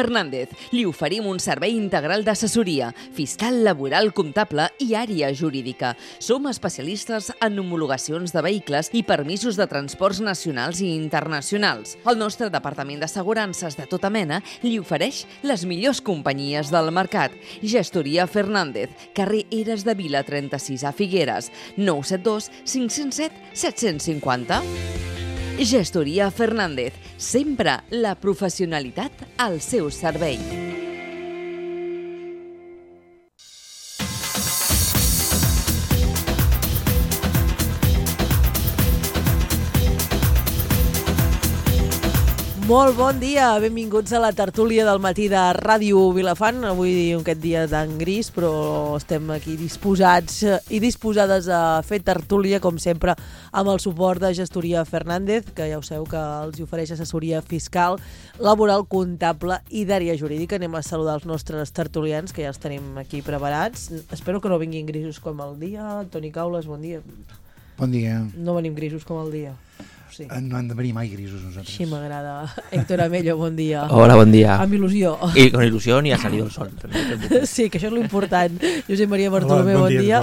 Fernández. Li oferim un servei integral d'assessoria, fiscal, laboral, comptable i àrea jurídica. Som especialistes en homologacions de vehicles i permisos de transports nacionals i internacionals. El nostre departament d'assegurances de tota mena li ofereix les millors companyies del mercat. Gestoria Fernández, carrer Eres de Vila 36 a Figueres, 972 507 750. Gestoria Fernández, sempre la professionalitat al seu servei. Molt bon dia, benvinguts a la tertúlia del matí de Ràdio Vilafant. Avui aquest dia tan gris, però estem aquí disposats i disposades a fer tertúlia, com sempre, amb el suport de Gestoria Fernández, que ja ho sabeu que els ofereix assessoria fiscal, laboral, comptable i d'àrea jurídica. Anem a saludar els nostres tertulians, que ja els tenim aquí preparats. Espero que no vinguin grisos com el dia. Toni Caules, bon dia. Bon dia. No venim grisos com el dia. Sí. No han de venir mai grisos nosaltres. Sí, m'agrada. Héctor Amello, bon dia. Hola, bon dia. Amb il·lusió. Y con ilusión y ha salido el sol. Sí, que això és l'important. Josep Maria Bartolomé, bon dia.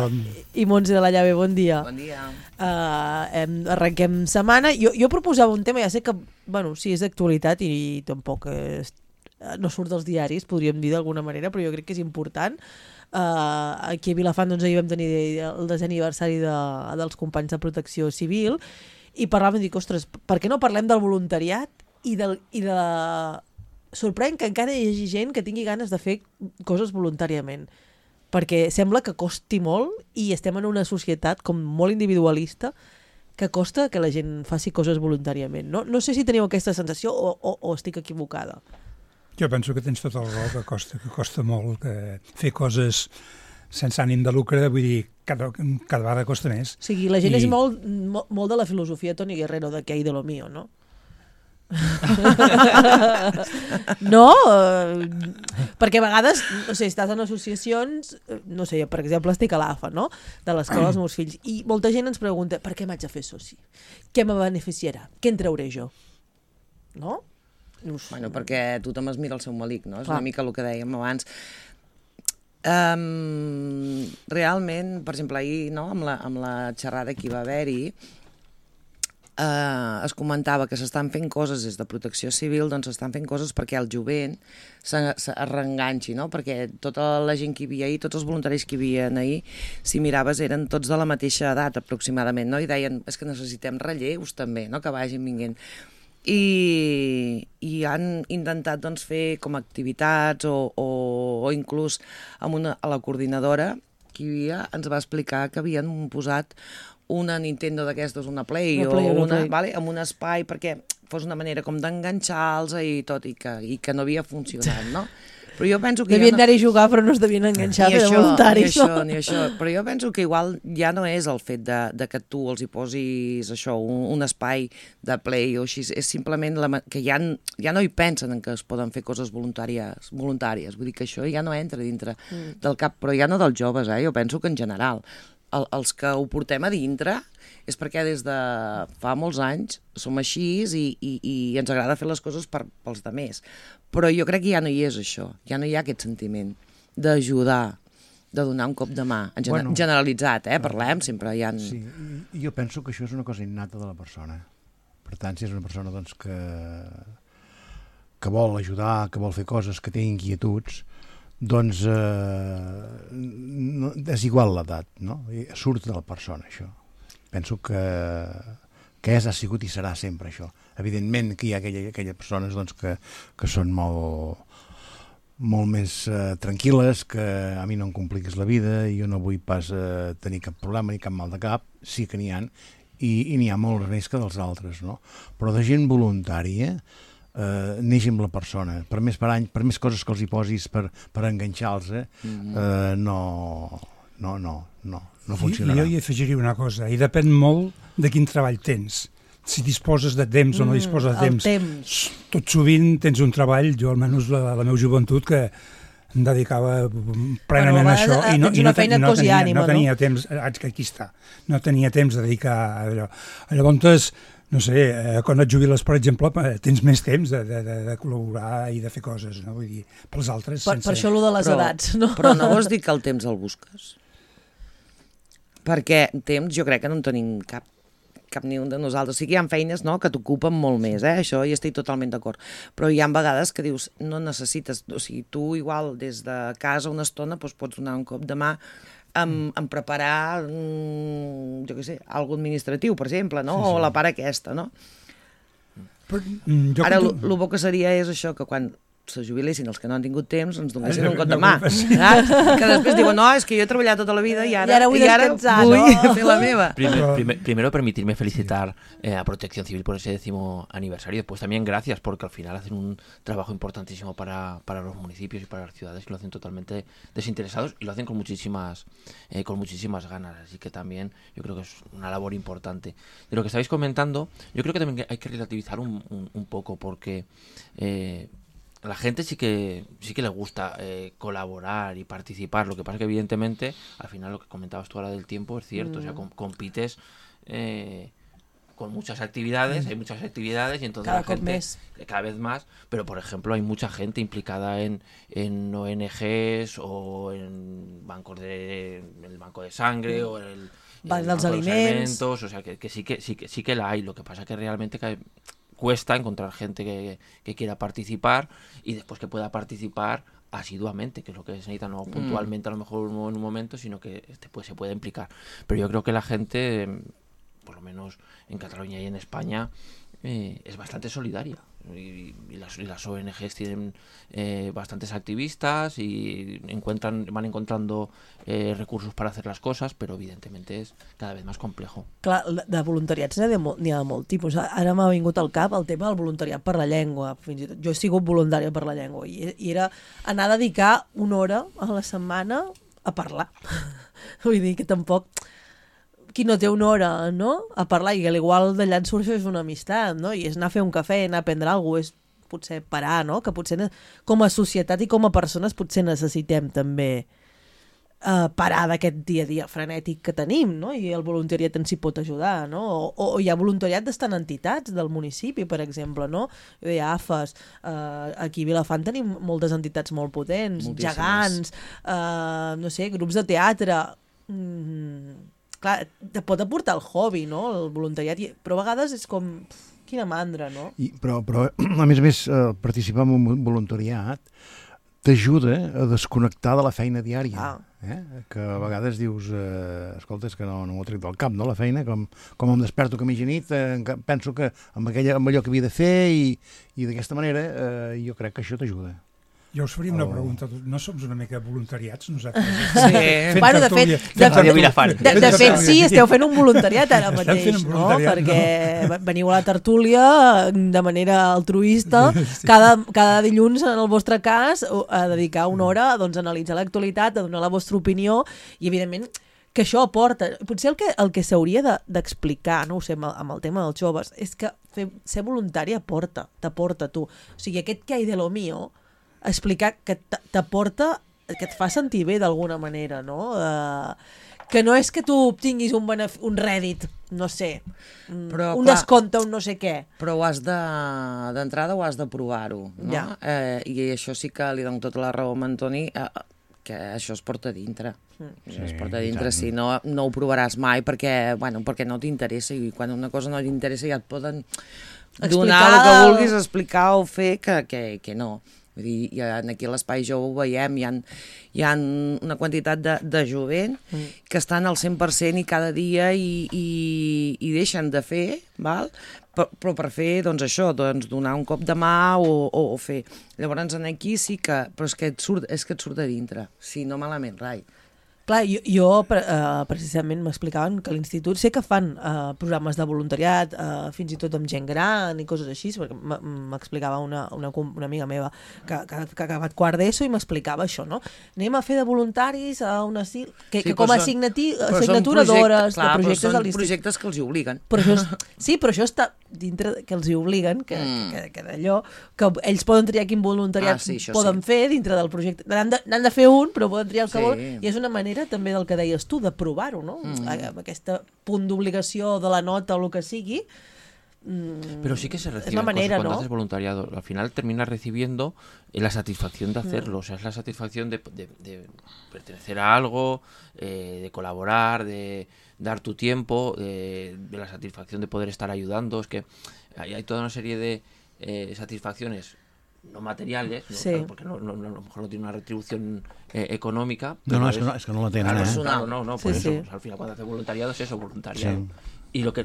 I Montse de la Llave, bon dia. Bon dia. Arrenquem setmana. Jo proposava un tema, ja sé que, bueno, sí, és d'actualitat i tampoc no surt dels diaris, podríem dir d'alguna manera, però jo crec que és important. Aquí a Vilafant doncs, ahir vam tenir el 10è aniversari dels companys de Protecció Civil i parlàvem, dic, ostres, per què no parlem del voluntariat i de... Sorprèn que encara hi hagi gent que tingui ganes de fer coses voluntàriament, perquè sembla que costi molt i estem en una societat com molt individualista que costa que la gent faci coses voluntàriament. No sé si teniu aquesta sensació o estic equivocada. Jo penso que tens tot el raó, que costa molt, que fer coses sense ànim de lucre, vull dir, cada vegada costa més. O sigui, la gent és molt de la filosofia Toni Guerrero, de que hay de lo mío, no? No? Perquè a vegades, no sé, estàs en associacions, no sé, per exemple, estic a l'AFA, no?, de l'escola dels meus fills, i molta gent ens pregunta, per què m'haig de fer soci? Què me beneficiarà? Què en trauré jo? No? Bueno, perquè tothom es mira el seu malic, no? És una mica el que dèiem abans. Realment, per exemple, ahir, no, amb la xerrada que hi va haver-hi, es comentava que s'estan fent coses des de Protecció Civil, doncs s'estan fent coses perquè el jovent es reenganxi, no? Perquè tota la gent que hi havia ahir, tots els voluntaris que hi havia ahir, si miraves, eren tots de la mateixa edat aproximadament, no? I deien, és que necessitem relleus també, no?, que vagin vinguent. I han intentat doncs, fer com activitats o inclús a la coordinadora que hi havia ens va explicar que havien posat una Nintendo d'aquestes, una Play, vale, amb un espai perquè fos una manera com d'enganxar-los i tot, i que no havia funcionat, no? Però jo penso que devien anar-hi a jugar però no es devien enganxar de voluntaris. Ni això. Però jo penso que igual ja no és el fet de que tu els hi posis això, un espai de play o així, és simplement que ja no hi pensen en que es poden fer coses voluntàries. Vull dir que això ja no entra dintre del cap, però ja no dels joves, jo penso que en general. Els que ho portem a dintre és perquè des de fa molts anys som així i ens agrada fer les coses pels altres. Però jo crec que ja no hi és això, ja no hi ha aquest sentiment d'ajudar, de donar un cop de mà, generalitzat, parlem, sempre hi ha... Sí, jo penso que això és una cosa innata de la persona. Per tant, si és una persona doncs, que vol ajudar, que vol fer coses, que té inquietuds, doncs és igual l'edat, no? Surt de la persona, això. Penso que ha sigut i serà sempre això. Evidentment que hi ha aquelles persones doncs, que són molt més tranquil·les, que a mi no em compliques la vida i jo no vull pas tenir cap problema ni cap mal de cap, sí que n'hi ha, i n'hi ha molts més que dels altres, no? Però de gent voluntària neix amb la persona, per més coses que els hi posis per enganxar-los, no funcionarà. Jo hi afegiria una cosa, i depèn molt de quin treball tens. Si disposes de temps o no disposes de temps. Tot sovint tens un treball, jo almenys la meva joventut, que em dedicava plenament a això i no tenia temps, aquí està, no tenia temps de dedicar a allò. Llavors, no sé, quan et jubiles, per exemple, tens més temps de col·laborar i de fer coses, no? Vull dir, pels altres... Per això allò de les edats, no? Però no vols dir que el temps el busques? Perquè temps jo crec que no en tenim cap ni un de nosaltres. O sigui, hi ha feines, no?, que t'ocupen molt més, això hi estic totalment d'acord. Però hi ha vegades que dius, no necessites... O sigui, tu igual des de casa una estona pots donar un cop de mà en preparar, jo què sé, algo administratiu, per exemple, no? Sí. O la part aquesta, no? Però, ara, el bo que seria és això, que quan se jubilessin els que no han tingut temps, ens donessin un cop de mà. Que després diuen, no, és que jo he treballat tota la vida i ara vull descansar, vull fer la meva. Primero permitirme felicitar a Protección Civil por ese 10º aniversario. Después también gracias porque al final hacen un trabajo importantísimo para los municipios y para las ciudades, y lo hacen totalmente desinteresados y lo hacen con muchísimas ganas. Así que también yo creo que es una labor importante. De lo que estáis comentando, yo creo que también hay que relativizar un poco porque... la gente sí que le gusta colaborar y participar. Lo que pasa es que evidentemente, al final lo que comentabas tú ahora del tiempo es cierto. O sea, compites con muchas actividades, hay muchas actividades y entonces la gente cada vez más, pero por ejemplo hay mucha gente implicada en ONGs o en bancos el banco de sangre o el banco de alimentos, o sea que sí que la hay. Lo que pasa es que realmente cuesta encontrar gente que quiera participar y después que pueda participar asiduamente, que es lo que se necesita, no puntualmente a lo mejor en un momento, sino que se puede implicar. Pero yo creo que la gente, por lo menos en Cataluña y en España, es bastante solidaria. Y las ONGs tienen bastantes activistas y van encontrando recursos para hacer las cosas, però evidentemente és cada vez més complejo. Clar, de voluntariats n'hi ha de molt tipus. Ara m'ha vingut al cap el tema del voluntariat per la llengua. Fins i tot jo he sigut voluntària per la llengua i era anar a dedicar una hora a la setmana a parlar. Vull dir que tampoc... Qui no té una hora, no?, a parlar, i igual d'allà en surt és una amistat, no?, i és anar a fer un cafè, anar a prendre alguna cosa, és potser parar, no?, que potser com a societat i com a persones potser necessitem també parar d'aquest dia a dia frenètic que tenim, no?, i el voluntariat ens hi pot ajudar, no?, o hi ha voluntariat d'estar en entitats del municipi, per exemple, no?, hi ha AFES, aquí a Vilafant tenim moltes entitats molt potents, moltíssimes. Gegants, no sé, grups de teatre... Clar, te pot aportar el hobby, no?, el voluntariat, però a vegades és com... Quina mandra, no? Però a més, participar en un voluntariat t'ajuda a desconnectar de la feina diària. Que a vegades dius, escolta, és que no m'ho trec del cap, no?, la feina, com em desperto que mitja nit, penso que amb allò que havia de fer i d'aquesta manera jo crec que això t'ajuda. Jo us faria una pregunta. No som una mica voluntariats, nosaltres? Sí. Bueno, de fet, sí, esteu fent un voluntariat ara mateix, no? Perquè veniu a la tertúlia de manera altruista, cada dilluns, en el vostre cas, a dedicar una hora a analitzar l'actualitat, a donar la vostra opinió, i evidentment que això aporta. Potser el que s'hauria d'explicar, no ho sé, amb el tema dels joves, és que ser voluntari t'aporta tu. O sigui, aquest que hay de lo mío, explicar que t'aporta, que et fa sentir bé d'alguna manera, no? Que no és que tu obtinguis un rèdit, no sé, un descompte, un no sé què. Però d'entrada ho has de provar-ho, no? Ja. I això sí que li dono tota la raó a Antoni, que això es porta dintre. Es porta dintre, si no ho provaràs mai perquè no t'interessa, i quan una cosa no t'interessa ja et poden donar el que vulguis, explicar o fer que no. Vull dir, aquí a l'Espai Jove ho veiem, hi ha una quantitat de jovent que estan al 100% i cada dia i deixen de fer, val? Però per fer, doncs això, donar un cop de mà o fer. Llavors aquí sí que... Però és que et surt de dintre, si no malament, rai. Clar, jo precisament m'explicaven que a l'institut sé que fan programes de voluntariat, fins i tot amb gent gran i coses així, perquè m'explicava una amiga meva que ha acabat quart d'ESO i m'explicava això, no? Anem a fer de voluntaris a un asil, que com a assignatura d'hores, de projectes de l'institut. Són projectes que els hi obliguen. Sí, però això està dintre que els hi obliguen, que d'allò, que ells poden triar quin voluntariat poden fer dintre del projecte. N'han de fer un, però poden triar el que volen, i és una manera també del que deies tu, de provar-ho, no? Aquest punt d'obligació de la nota o el que sigui, Pero sí que se reciben es la manera, cosas cuando ¿no? haces voluntariado. Al final terminas recibiendo la satisfacción de hacerlo. O sea, es la satisfacción de pertenecer a algo, de colaborar, de dar tu tiempo, de la satisfacción de poder estar ayudando. Es que hay toda una serie de satisfacciones no materiales, ¿no? Sí. Claro, porque a lo mejor no tiene una retribución económica. No, es que no la tenen, Claro, no, por Sí, eso. sí. O sea, al final cuando haces voluntariado es eso, voluntariado. Sí.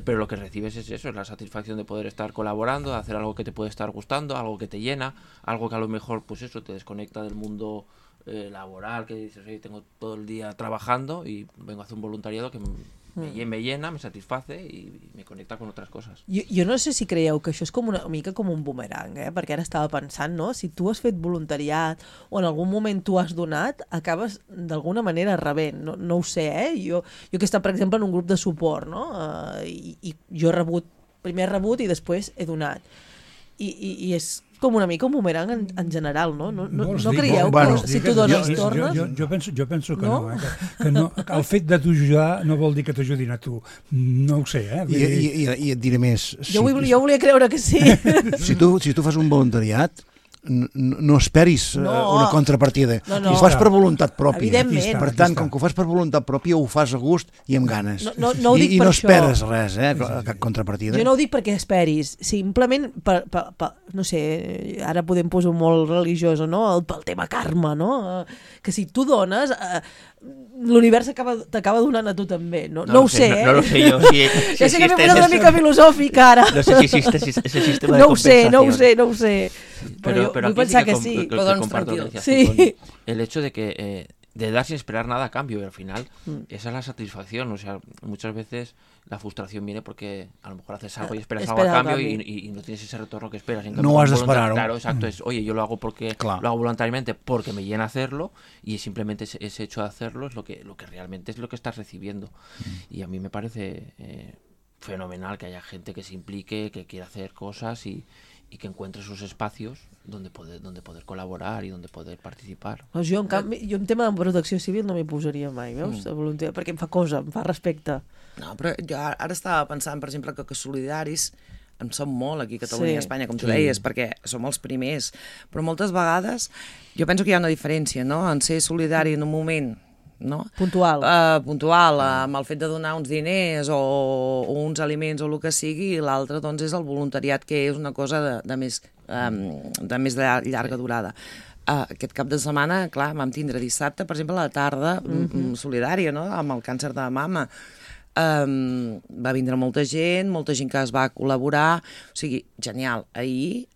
Pero lo que recibes es eso, es la satisfacción de poder estar colaborando, de hacer algo que te puede estar gustando, algo que te llena, algo que a lo mejor, pues eso, te desconecta del mundo laboral, que dices, oye, tengo todo el día trabajando y vengo a hacer un voluntariado que me llena, me satisface i me connecta con otras coses. Jo no sé si creieu que això és com una mica com un bumerang, perquè ara estava pensant, no? Si tu has fet voluntariat o en algun moment tu has donat, acabes d'alguna manera rebent. No ho sé, Jo que he estat, per exemple, en un grup de suport, no? I jo he rebut, primer he rebut i després he donat. I és com una mica un bumerang en general, no? No creieu que si tu dones tornes? Jo penso que no, que no. El fet de t'ajudar no vol dir que t'ajudin a tu. No ho sé, I et diré més. Jo volia creure que sí. Si tu fas un voluntariat, no esperis una contrapartida. Ho fas per voluntat pròpia. Evidentment. Per tant, com que ho fas per voluntat pròpia, ho fas a gust i amb ganes. No ho dic I per no això. esperes res, cap contrapartida. Jo no ho dic perquè esperis, simplement no sé, ara podem posar molt religiós, no? Pel tema karma, no? Que si tu dones, l'univers t'acaba donant a tu també. No ho sé, No lo sé yo. Ja sé que m'he posat una mica filosòfic ara. No sé si existe ese sistema de No compensación. ho sé. Però vull aquí pensar sí que sí. Lo que comparto lo que decías tú, con el hecho de que de dar sin esperar nada a cambio, y al final esa es la satisfacción. O sea, muchas veces la frustración viene porque a lo mejor haces algo y esperas algo a cambio y no tienes ese retorno que esperas. En cambio, No has de esperar. Claro, exacto. Es, oye, yo lo hago porque lo hago voluntariamente porque me llena hacerlo, y simplemente ese hecho de hacerlo es lo que realmente es lo que estás recibiendo. Y a mí me parece fenomenal que haya gente que se implique, que quiera hacer cosas y que encuentre sus espacios donde poder colaborar y donde poder participar. Jo, en canvi, en tema de protecció civil no m'hi posaria mai, veus? De voluntariat, perquè em fa cosa, em fa respecte. No, però jo ara estava pensant, per exemple, que solidaris en som molt aquí a Catalunya i a Espanya, com tu deies, perquè som els primers. Però moltes vegades jo penso que hi ha una diferència, no?, en ser solidari en un moment, no? Puntual. Amb el fet de donar uns diners o uns aliments o el que sigui, i l'altre doncs és el voluntariat, que és una cosa de més llarga durada. Aquest cap de setmana, clar, vam tindre dissabte, per exemple, a la tarda solidària, no?, amb el càncer de mama. Va vindre molta gent que es va col·laborar, o sigui, genial. Ahir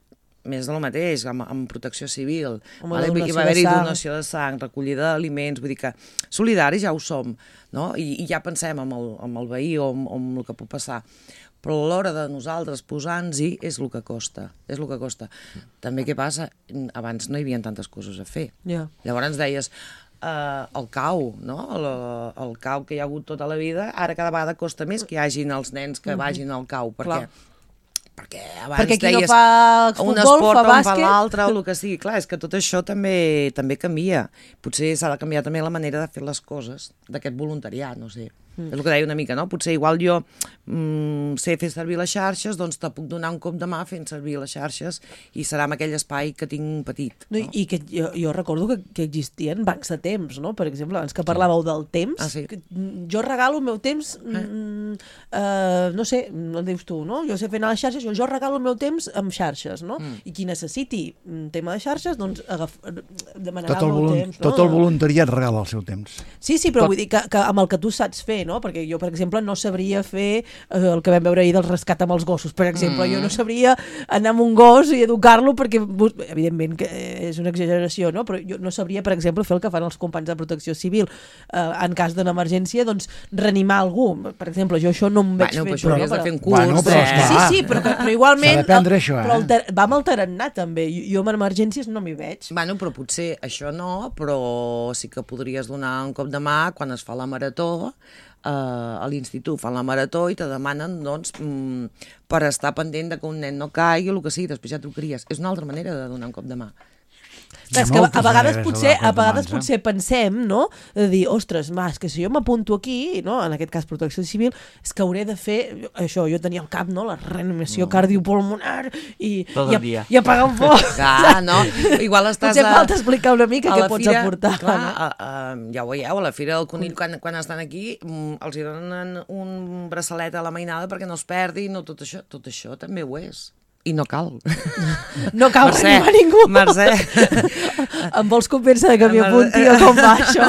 més del mateix, amb protecció civil. Hi va haver-hi donació de sang, recollida d'aliments, vull dir que solidaris ja ho som, no? I ja pensem en el veí o en el que pot passar. Però a l'hora de nosaltres posar-nos-hi és el que costa, També què passa? Abans no hi havia tantes coses a fer. Llavors ens deies, el cau, no? El cau que hi ha hagut tota la vida, ara cada vegada costa més que hi hagin els nens que vagin al cau, perquè abans qui deies no fa futbol, un esport fa on bàsquet, fa l'altre o el que sigui. Clar, és que tot això també canvia. Potser s'ha de canviar també la manera de fer les coses d'aquest voluntariat, no sé. És el que deia una mica, no? Potser igual jo sé fer servir les xarxes, doncs te puc donar un cop de mà fent servir les xarxes i serà en aquell espai que tinc petit. No? I que jo recordo que existien bancs de temps, no? Per exemple, abans que parlàveu del temps, jo regalo el meu temps, no sé, no dius tu, no? Jo sé fer anar a les xarxes, jo regalo el meu temps amb xarxes, no? I qui necessiti un tema de xarxes, doncs demanarà el meu temps. Tot el voluntariat regala el seu temps. Sí, però vull dir que amb el que tu saps fer, no? Perquè jo, per exemple, no sabria fer el que vam veure ahir del rescat amb els gossos, per exemple. Jo no sabria anar amb un gos i educar-lo perquè, evidentment, que és una exageració, no? Però jo no sabria, per exemple, fer el que fan els companys de protecció civil. En cas d'una emergència, doncs, reanimar algú. Per exemple, jo això no em veig fer. Però has de fer un curs. Sí, però igualment... S'ha d'aprendre això, va amb el tarannà, també. Jo en emergències no m'hi veig. Bueno, però potser això no, però sí que podries donar un cop de mà quan es fa la marató. A l'institut fan la marató i te demanen, doncs, per estar pendent de que un nen no caigui o el que sigui, després ja trucaries. És una altra manera de donar un cop de mà. Clar, és que a vegades potser pensem, no?, de dir, ostres, és que si jo m'apunto aquí, no?, en aquest cas protecció civil, és que hauré de fer això, jo tenia al cap, no?, la reanimació cardiopulmonar i apagar un foc. Clar, no? Igual estàs potser falta explicar una mica què pots aportar. Clar, ja ho veieu, a la Fira del Conill, quan estan aquí, els donen un braçalet a la mainada perquè no es perdi, no, tot això també ho és. I no cal. No cal reanimar ningú. Mercè. Em vols convèncer que m'hi apunti o com va això?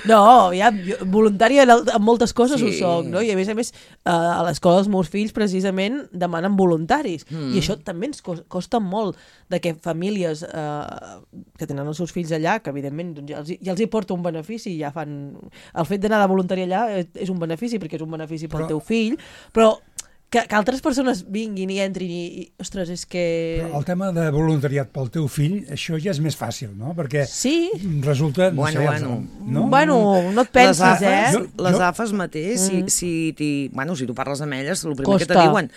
No, ja, voluntària en moltes coses ho soc, no? I a més, a l'escola dels meus fills precisament demanen voluntaris. I això també ens costa molt de que famílies que tenen els seus fills allà, que evidentment ja els hi porta un benefici, ja fan... El fet d'anar de voluntari allà és un benefici, perquè és un benefici pel teu fill, però que altres persones vinguin i entrin i ostres, és que... Però el tema de voluntariat pel teu fill, això ja és més fàcil, no? Perquè resulta... Bueno, no et pensis, Les AFAs mateix, si tu parles amb elles, el primer que te diuen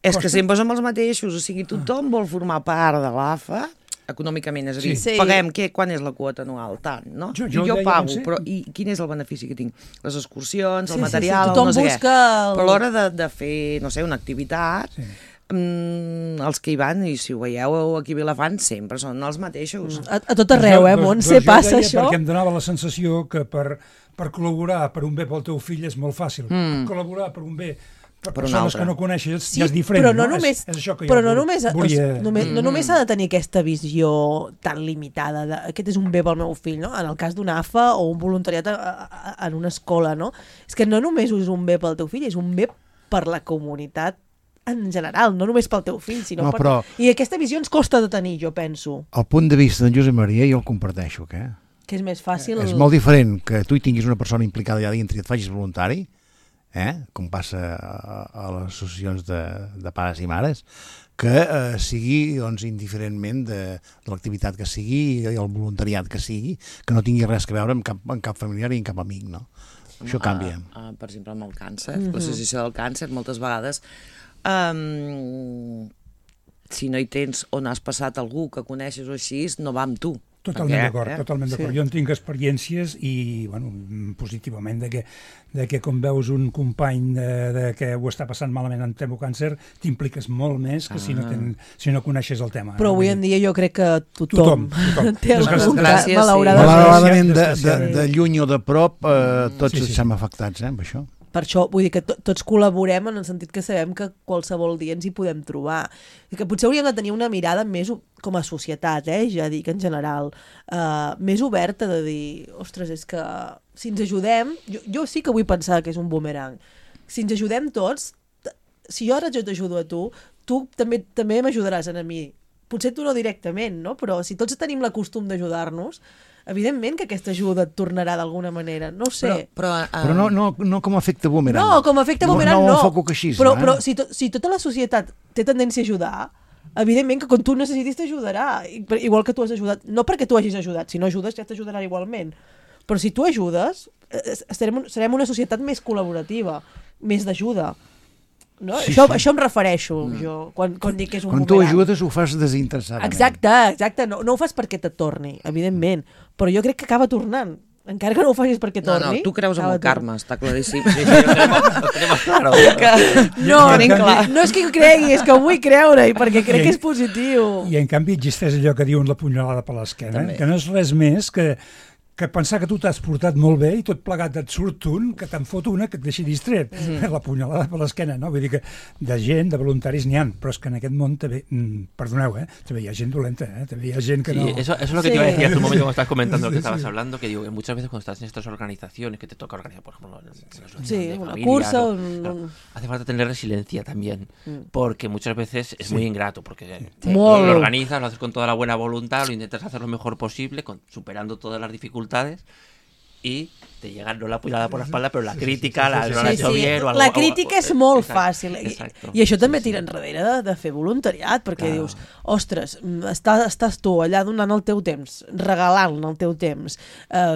és que sempre som els mateixos, o sigui, tothom vol formar part de l'AFA econòmicament, és a dir, paguem, quan és la quota anual? Tant, no? Jo pago, però i quin és el benefici que tinc? Les excursions, el material, no sé què. Però a l'hora de fer, no sé, una activitat, els que hi van, i si ho veieu aquí a Vilafant, sempre són els mateixos. A tot arreu, Montse, passa això. Perquè em donava la sensació que per col·laborar per un bé pel teu fill és molt fàcil. Col·laborar per un bé per persones que no coneixes ja és diferent, però no només, és això que jo no només s'ha de tenir aquesta visió tan limitada de, aquest és un bé pel meu fill, no? En el cas d'una AFA o un voluntariat en una escola, no? És que no només és un bé pel teu fill, és un bé per la comunitat en general, no només pel teu fill, sinó per... I aquesta visió ens costa de tenir, jo penso. El punt de vista d'en Josep Maria jo el comparteixo, que és més fàcil... És molt diferent que tu hi tinguis una persona implicada allà dintre i et facis voluntari, com passa a les associacions de pares i mares, que sigui indiferentment de l'activitat que sigui i el voluntariat que sigui, que no tingui res a veure amb cap familiar i amb cap amic, no? Això canvia. Per exemple, amb el càncer, l'associació del càncer, moltes vegades, si no hi tens on has passat algú que coneixes o així, no va amb tu. Totalment d'acord. Jo en tinc experiències i, positivament, de que quan veus un company que ho està passant malament en tema càncer, t'impliques molt més que si no coneixes el tema. Però avui en dia jo crec que tothom té algun cas, malauradament, de lluny o de prop, tots estem afectats, amb això. Per això, vull dir que tots col·laborem en el sentit que sabem que qualsevol dia ens hi podem trobar. I que potser hauríem de tenir una mirada més com a societat, ja dic en general, més oberta de dir, ostres, és que si ens ajudem, jo sí que vull pensar que és un boomerang, si ens ajudem tots, si jo ara jo t'ajudo a tu també m'ajudaràs a mi. Potser tu no directament, no? Però si tots tenim la costum d'ajudar-nos, evidentment que aquesta ajuda et tornarà d'alguna manera, no ho sé. Però no com a efecte boomerang. No, com a efecte boomerang no. No ho enfoco així. Però si tota la societat té tendència a ajudar, evidentment que quan tu necessitis t'ajudarà, igual que tu has ajudat. No perquè tu hagis ajudat, si no ajudes ja t'ajudarà igualment. Però si tu ajudes, serem una societat més col·laborativa, més d'ajuda. No? Això em refereixo jo, quan dic que és un boomerang. Quan tu ajudes ho fas desinteressadament. Exacte, no ho fas perquè te torni, evidentment, però jo crec que acaba tornant, encara que no ho facis perquè torni. No, tu creus en el karma, està claríssim. No és que ho cregui, és que ho vull creure-hi perquè crec que és positiu. I en canvi existeix allò que diuen la punyalada per l'esquena, que no és res més que pensar que tu t'has portat molt bé i tot plegat et surt un, que te'n fot una que et deixi distret. La punyalada per l'esquena, no? Vull dir que de gent, de voluntaris n'hi ha, però és que en aquest món també, perdoneu, també hi ha gent dolenta, també hi ha gent que no... Sí, eso es lo que te iba a decir hace un momento cuando estabas comentando lo que estabas hablando, que digo que muchas veces cuando estás en estas organizaciones que te toca organizar, por ejemplo, una cursa... hace falta tener resiliencia también, porque muchas veces es muy ingrato, porque lo organizas, lo haces con toda la buena voluntad, lo intentas hacer lo mejor posible, superando todas las dificultades, y te llega no la puñalada por la espalda, però la crítica, no l'ha hecho bien o algo. La crítica és molt fàcil. I això també tira enrere de fer voluntariat, perquè dius, ostres, estàs tu allà donant el teu temps, regalant el teu temps,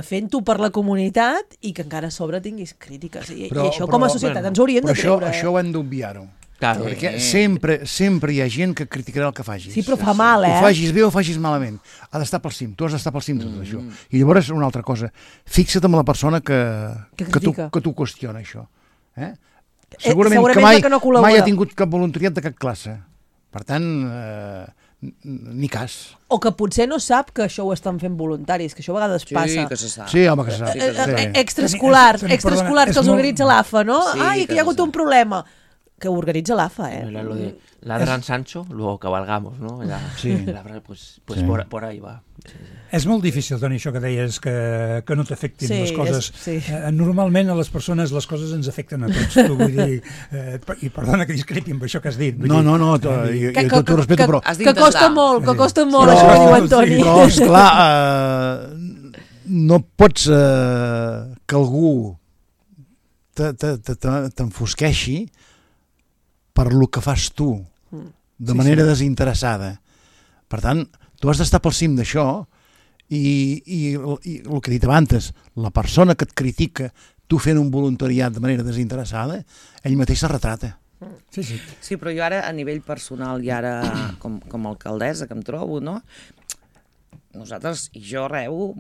fent-ho per la comunitat i que encara a sobre tinguis crítiques. I això com a societat ens hauríem de treure. Això ho hem d'obviar-ho. Claro. Perquè sempre hi ha gent que criticarà el que facis. Sí, però fa mal, Ho facis bé o facis malament. Ha d'estar pel cim, tu has d'estar pel cim de tot això. I llavors una altra cosa, fixa't amb la persona que tu qüestiona això. Segurament que mai ha tingut cap voluntariat de cap classe. Per tant, ni cas. O que potser no sap que això ho estan fent voluntaris, que això a vegades passa. Sí, que se sap. Sí, home, que se sap. Extraescolars que els organitza l'AFA, no? Ai, que hi ha hagut un problema. Que ho organitza l'AFA, Era lo de ladran Sancho, luego cabalgamos, ¿no? Pues por ahí va. És molt difícil, Toni, això que deies, que no t'afectin les coses. Normalment a les persones les coses ens afecten a tots. Tu vull dir, i perdona que discrepi amb això que has dit. No, jo t'ho respeto, però... Que costa molt, això que diu en Toni. Però, esclar, no pots que algú t'enfosqueixi per lo que fas tu, de manera desinteressada. Per tant, tu has d'estar pel cim d'això i el que he dit abans, la persona que et critica tu fent un voluntariat de manera desinteressada, ell mateix se retrata. Sí, però jo ara, a nivell personal i ara com a alcaldessa que em trobo, no? Nosaltres, i jo rebo,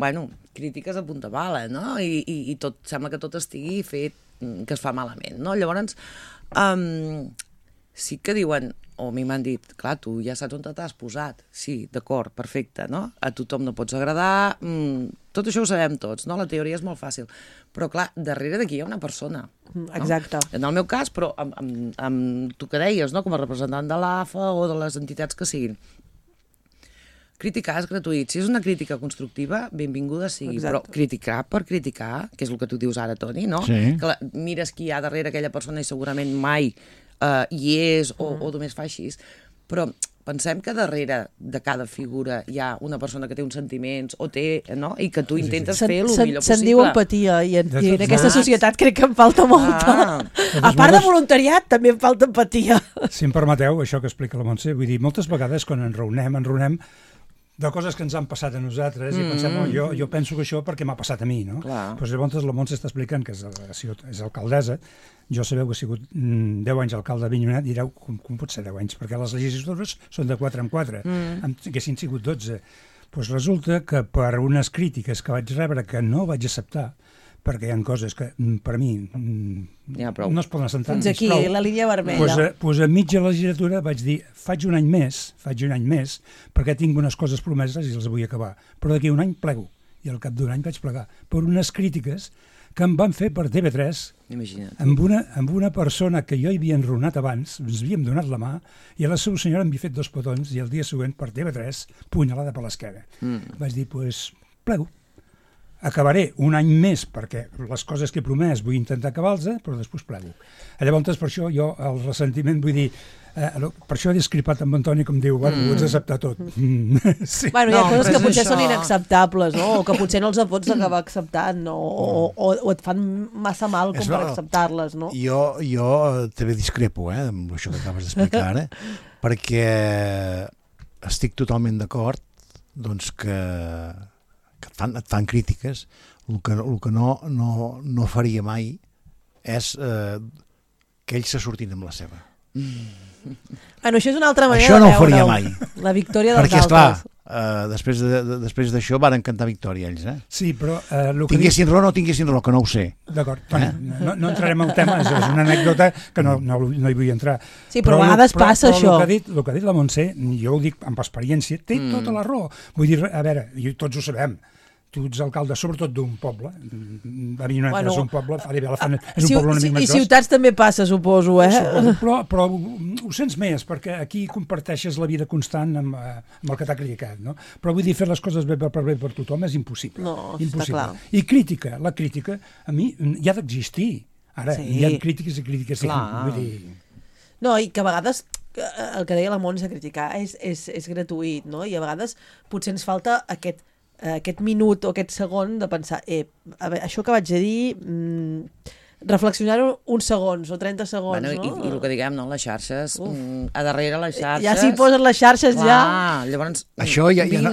crítiques a punta pala, no? I tot, sembla que tot estigui fet, que es fa malament, no? Llavors, sí que diuen, o a mi m'han dit, clar, tu ja saps on t'has posat. Sí, d'acord, perfecte, no? A tothom no pots agradar, tot això ho sabem tots, no? La teoria és molt fàcil. Però, clar, darrere d'aquí hi ha una persona. Exacte. En el meu cas, però amb tu que deies, no? Com a representant de l'AFA o de les entitats que siguin. Criticar és gratuït. Si és una crítica constructiva, benvinguda sigui. Exacte. Però criticar per criticar, que és el que tu dius ara, Toni, no? Sí. Que mires qui hi ha darrere aquella persona i segurament mai hi és o només fa així, però pensem que darrere de cada figura hi ha una persona que té uns sentiments o té, no? I que tu intentes fer el millor possible. Se'n diu empatia i en aquesta societat crec que em falta molta. A part de voluntariat també em falta empatia. Si em permeteu, això que explica la Montse, vull dir, moltes vegades quan ens enraonem de coses que ens han passat a nosaltres i pensem, jo penso que això perquè m'ha passat a mi, no? Doncs llavors la Montse està explicant que és alcaldessa. Jo sabeu que he sigut 10 anys alcalde d'Avinyonet i direu, com pot ser 10 anys? Perquè les legislatures són de 4 en 4, haguessin sigut 12. Doncs resulta que per unes crítiques que vaig rebre que no vaig acceptar, perquè hi ha coses que per mi no es poden assentar. Fins aquí, la línia vermella. Doncs a mitja legislatura vaig dir, faig un any més, perquè tinc unes coses promeses i les vull acabar. Però d'aquí un any plego. I al cap d'un any vaig plegar. Per unes crítiques que em van fer per TV3 amb una persona que jo hi havia enronat abans, ens havíem donat la mà, i a la seva senyora em havia fet 2 petons i el dia següent per TV3 punyalada per l'esquena. Vaig dir, plego. Acabaré un any més perquè les coses que he promès vull intentar acabar-les, però després plego. Llavors, per això jo el ressentiment, vull dir, per això he discrepat amb Antoni, com diu, ho has d'acceptar tot. Sí. Bueno, hi ha coses que potser són inacceptables, no? O que potser no els pots acabar acceptant, o et fan massa mal com per acceptar-les, no? Jo també discrepo, amb això que acabes d'explicar ara, perquè estic totalment d'acord doncs que et fan crítiques. El que no faria mai és que ells se sortin amb la seva. Bueno, això és una altra manera això no de ho faria veure-ho. mai. La victòria dels perquè, altres. Esclar, després d'això varen cantar victòria ells, Sí, però... tinguessin raó o no tinguessin raó, que no ho sé. D'acord, no entrarem al tema, és una anècdota que no hi vull entrar. Sí, però a vegades passa això. El que ha dit la Montse, jo ho dic amb experiència, té tota la raó. Vull dir, a veure, tots ho sabem, tu ets alcalde sobretot d'un poble, Avinyonet és un poble, és un poble una mica més gros. I ciutats també passa, suposo, Però ho sents més, perquè aquí comparteixes la vida constant amb el que t'ha criticat, no? Però vull dir, fer les coses bé per tothom és impossible. No, està clar. I la crítica, a mi, hi ha d'existir. Ara, hi ha crítiques i crítiques. Vull dir... No, i que a vegades el que deia la Montse, criticar és gratuït, no? I a vegades potser ens falta aquest minut o aquest segon de pensar, a veure, això que vaig a dir, reflexionar-ho uns segons o 30 segons, no? I el que diguem, no? Les xarxes, a darrere les xarxes... Ja s'hi posen les xarxes, ja... Llavors, això vine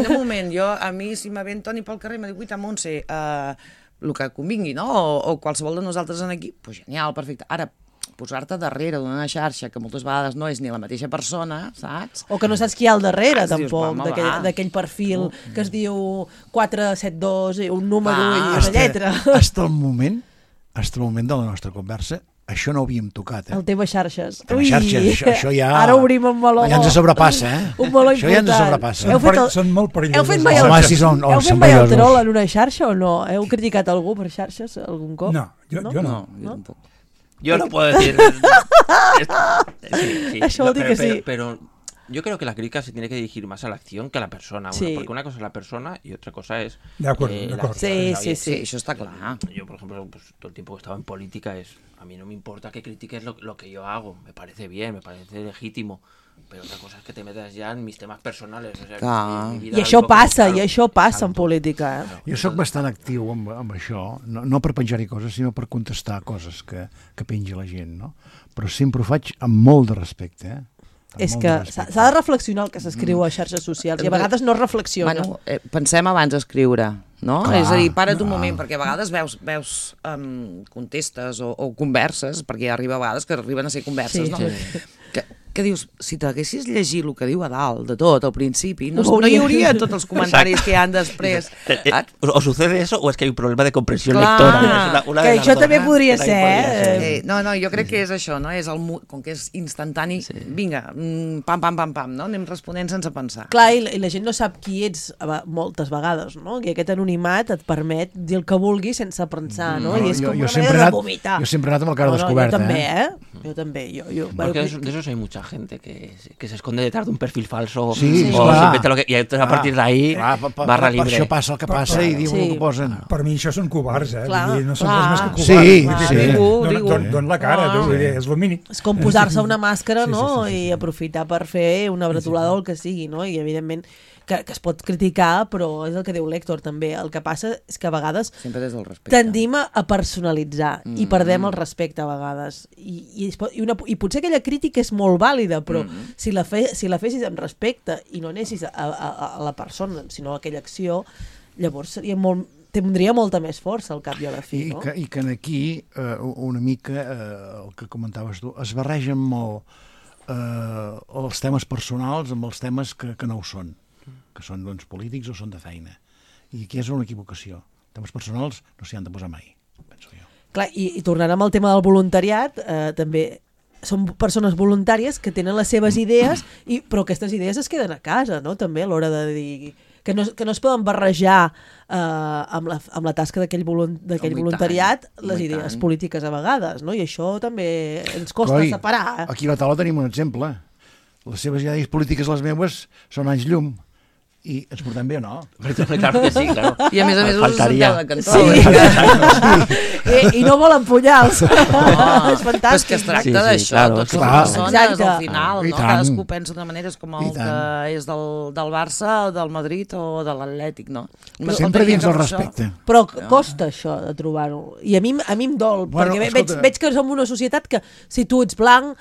un moment. A mi, si me ve en Toni pel carrer i me diu, guita, Montse, el que convingui, no? O qualsevol de nosaltres en aquí, doncs genial, perfecte. Ara, posar-te darrere d'una xarxa que moltes vegades no és ni la mateixa persona, saps? O que no saps qui hi ha al darrere, Dius, tampoc, home, d'aquell perfil que es diu 472, un número i una Hasta lletra. el moment de la nostra conversa, això no ho havíem tocat, El teves xarxes. Les xarxes, això ja... Ara obrim un meló. Ja ens sobrepassa, Un meló Això ja ens important. sobrepassa. Són molt perillosos. Heu fet mai Home, sí, són el troll en una xarxa o no? Heu criticat algú per xarxes algun cop? No, jo no. Jo tampoc. Yo no puedo decir... Això vol dir que sí. Pero yo creo que la crítica se tiene que dirigir más a la acción que a la persona. Sí. Porque una cosa es la persona y otra cosa es... De acuerdo, de la acuerdo. acción. Sí. Sí, això està clar. Yo, por ejemplo, pues, todo el tiempo que he estado en política a mí no me importa que critiques lo que yo hago. Me parece bien, me parece legítimo. Pero otra cosa es que te metas ya en mis temas personales. O sea, Clar. mi vida I la això vivo passa, claro, i això passa en exacto. política. Jo sóc bastant actiu amb això, no per penjar-hi coses, sinó per contestar coses que pengi la gent, no? Però sempre ho faig amb molt de respecte, És que s'ha de reflexionar el que s'escriu a xarxes socials i a vegades no es reflexiona. Bueno, pensem abans d'escriure, no? Clar, És a dir, para't un moment, perquè a vegades veus contestes o converses, perquè arriba a vegades que arriben a ser converses, Sí. no? Sí. Que dius, si t'haguessis llegit el que diu a dalt de tot al principi, no Ho hi hauria. hauria tots els comentaris que hi han després. O sucede eso o es que hay un problema de comprensión Clar. lectora. Una Que de las això dos. també podria També ser, No, jo crec que és això, no? És com que és instantani, vinga, pam, no? Anem responent sense pensar. Clar, i la gent no sap qui ets moltes vegades, no? I aquest anonimat et permet dir el que vulguis sense pensar, no? I és com una manera de vomitar. Jo sempre he anat amb el cara descoberta. Jo també, Jo també. Porque de esos hay mucha gente que se esconde detrás de un perfil falso Sí, o clar. se inventa lo que... Y entonces a partir de ahí, barra Per libre. això passa el que passa i diuen el que posen. Per mi això són covards, Clar, Vull dir, no són clar. res més que Sí, covards. sí. Don la cara, Clar. vull dir, és el mínim. És com posar-se una màscara, Sí, no? sí. I aprofitar per fer una bretolada o el que sigui, no? I evidentment que es pot criticar, però és el que diu l'Héctor també. El que passa és que a vegades Sempre des del respecte. tendim a personalitzar i perdem el respecte a vegades. I potser aquella crítica és molt vàlida, però si la fessis amb respecte i no anessis a la persona, sinó a aquella acció, llavors tindria molta més força al cap i a la fi, no? I que aquí, una mica, el que comentaves tu, es barregen molt els temes personals amb els temes que no ho són, que són doncs, polítics o són de feina. I aquí és una equivocació. Temes personals no s'hi han de posar mai, penso jo. Clar, i tornant amb el tema del voluntariat, també són persones voluntàries que tenen les seves idees, però aquestes idees es queden a casa, no? També a l'hora de dir... Que no es poden barrejar amb la tasca d'aquell voluntariat les idees polítiques a vegades, no? I això també ens costa separar. Aquí a la taula tenim un exemple. Les seves idees polítiques, les meves, són anys llum. I ens portem bé o no? Claro que sí, claro. I a més us Faltaria. senteu de cantó. I no volen punyals. És fantàstic. Però és que es tracta d'això, claro, tots clar. som persones Exacte. al final, I no? tant. Cadascú pensa de maneres com el I tant. que és del Barça, del Madrid o de l'Atlètic, no? Sempre dins el respecte. Però costa això de trobar-ho. I a mi em dol, Bueno, perquè escolta. veig que som una societat que si tu ets blanc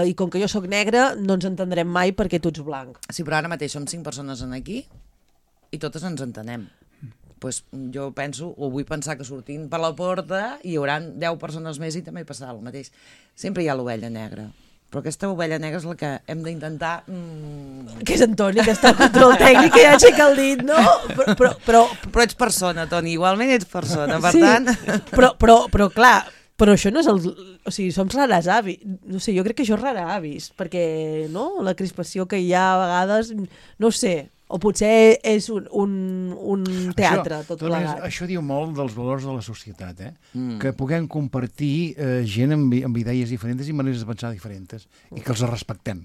i com que jo sóc negre no ens entendrem mai perquè tu ets blanc. Sí, però ara mateix som 5 persones en aquí i totes ens entenem. Pues jo penso, o vull pensar que sortint per la porta hi haurà 10 persones més i també hi passarà el mateix. Sempre hi ha l'ovella negra. Però aquesta ovella negra és la que hem d'intentar... Que és en Toni, que està al control tècnic, que ja aixeca el dit, no? Però ets persona, Toni, igualment ets persona, per sí, tant... però clar, però això no és el... O sigui, som rares avis. No sé, jo crec que això és rara avis, perquè, no?, la crispació que hi ha a vegades, no sé, o potser és un teatre, tot plegat. Això diu molt dels valors de la societat, que puguem compartir gent amb idees diferents i maneres de pensar diferents, i que els respectem.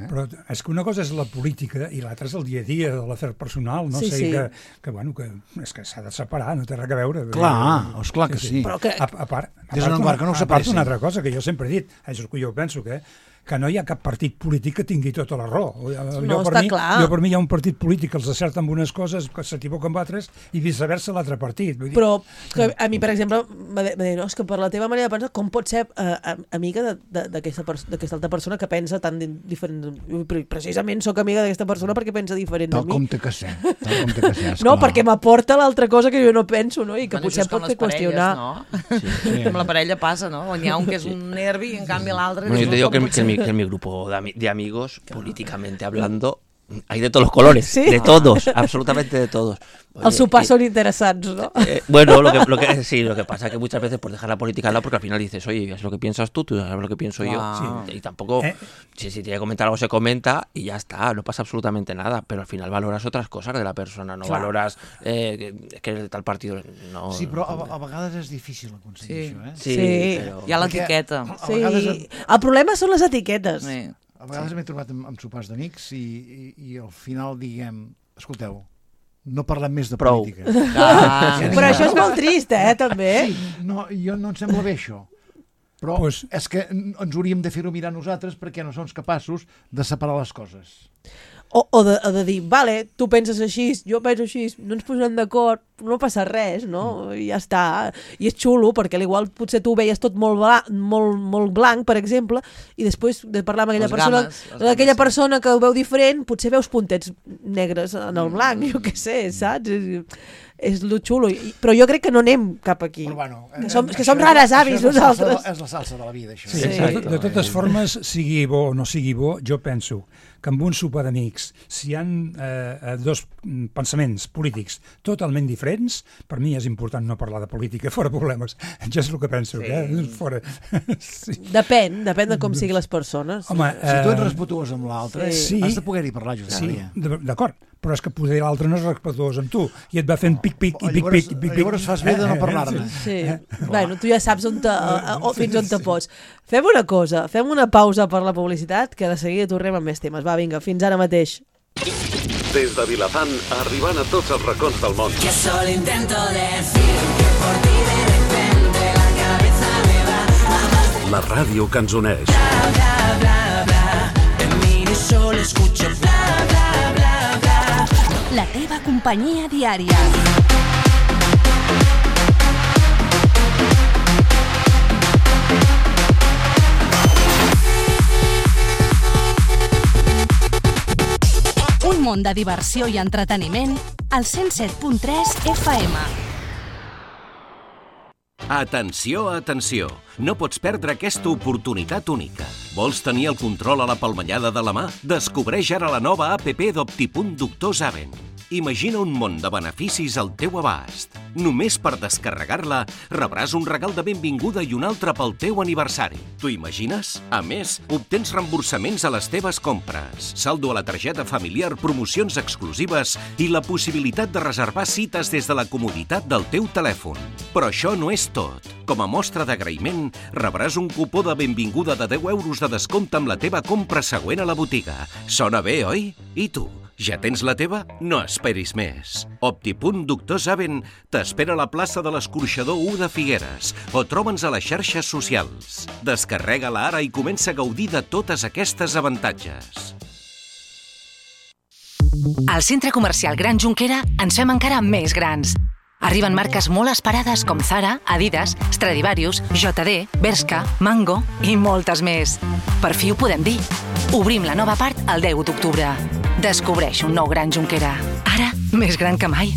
Però és que una cosa és la política i l'altra és el dia a dia, de l'afer personal, no? Sí, O sigui sí. que és que s'ha de separar, no té res a veure. Clar, esclar que sí. Però que... A part, Des d'un quart que no ho separessin. una altra cosa que jo sempre he dit, això és que jo penso que que no hi ha cap partit polític que tingui tota la raó. Està clar. Jo per mi hi ha un partit polític que els acerta amb unes coses, que s'equivoca amb altres, i viceversa l'altre partit. Vull dir... Però a mi, per exemple, va dir, no, és que per la teva manera de pensar, com pot ser amiga d'aquesta altra persona que pensa tan diferent? Precisament sóc amiga d'aquesta persona perquè pensa diferent de mi. Tal com té que ser. No, perquè m'aporta l'altra cosa que jo no penso, no? I que potser pot fer qüestionar. Sí. Amb la parella pasa, ¿no? On hi ha un que és un nervi i en canvi l'altre... Bueno, yo te digo que en mi grupo de amigos, políticamente hablando, hay de todos los colores, ¿sí? De todos, absolutamente de todos. Oye, els sopars són interessants, ¿no? Bueno, lo que pasa es que muchas veces por dejar la política al lado, porque al final dices, oye, es lo que piensas tú sabes lo que pienso yo. Sí. Y tampoco, si tiene que comentar algo, se comenta y ya está, no pasa absolutamente nada, pero al final valoras otras cosas de la persona, no valoras que es de tal partido. No, sí, però a vegades és difícil aconseguir això, eh? Sí, però... hi ha l'etiqueta. Sí. El problema són les etiquetes. Sí. A vegades m'he trobat amb sopars d'amics i al final diguem, escolteu, no parlem més de política. Però això és molt trist, també. Sí, no, no em sembla bé això. Però és que ens hauríem de fer-ho mirar nosaltres perquè no som capaços de separar les coses. O de dir, vale, tu penses així, jo penso així, no ens posem d'acord, no passa res, no? I ja està. I és xulo, perquè al igual potser tu veies tot molt blanc, per exemple, i després de parlar amb aquella persona que ho veu diferent, potser veus puntets negres en el blanc, jo què sé, saps? És lo xulo, però jo crec que no anem cap aquí. Bueno, que som rares avis nosaltres. És la salsa de la vida, això. Sí. De totes formes, sigui bo o no sigui bo, jo penso que amb un sopar d'amics, si hi ha dos pensaments polítics totalment diferents, per mi és important no parlar de política, fora problemes. Ja és el que penso, fora. Sí. Depèn de com siguin les persones. Home, si tu ets respetuós amb l'altre, has de poder-hi parlar, Josep Maria. Sí, d'acord, però és que potser l'altre no és respetuós amb tu i et va fent pic-pic i pic-pic. Llavors fas bé de no parlar-ne. Sí. Bueno, tu ja saps fins on te pots. Fem una cosa, fem una pausa per la publicitat, que de seguida tornem amb més temes. Va, vinga, fins ara mateix. Des de Vilafant, arribant a tots els racons del món. Que solo intento decir que por ti de repente la cabeza me va. La ràdio que ens uneix. Bla, bla, bla, bla. Te miro y solo escucho bla, bla, bla, bla. La teva companyia diària. Un món de diversió i entreteniment al 107.3 FM. Atenció, atenció! No pots perdre aquesta oportunitat única. Vols tenir el control a la palmellada de la mà? Descobreix ara la nova app d'Optipunt Doctor Zaven. Imagina un món de beneficis al teu abast. Només per descarregar-la rebràs un regal de benvinguda i un altre pel teu aniversari. T'ho imagines? A més, obtens reemborsaments a les teves compres, saldo a la targeta familiar, promocions exclusives i la possibilitat de reservar cites des de la comoditat del teu telèfon. Però això no és tot. Com a mostra d'agraïment, rebràs un cupó de benvinguda de 10 euros de descompte amb la teva compra següent a la botiga. Sona bé, oi? I tu? Ja tens la teva? No esperis més. Optipunt Doctor Zaven t'espera a la plaça de l'Escorxador 1 de Figueres o troba'ns a les xarxes socials. Descarrega-la ara i comença a gaudir de totes aquestes avantatges. Al Centre Comercial Gran Jonquera ens fem encara més grans. Arriben marques molt esperades com Zara, Adidas, Stradivarius, JD, Bershka, Mango i moltes més. Per fi ho podem dir. Obrim la nova part el 10 d'octubre. Descobreix un nou Gran Jonquera. Ara, més gran que mai.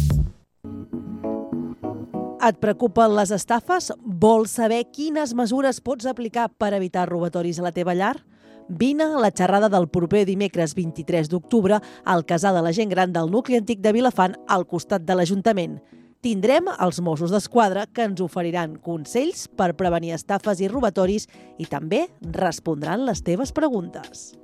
Et preocupen les estafes? Vols saber quines mesures pots aplicar per evitar robatoris a la teva llar? Vine a la xerrada del proper dimecres 23 d'octubre al Casal de la Gent Gran del nucli antic de Vilafant al costat de l'Ajuntament. Tindrem els Mossos d'Esquadra que ens oferiran consells per prevenir estafes i robatoris i també respondran les teves preguntes.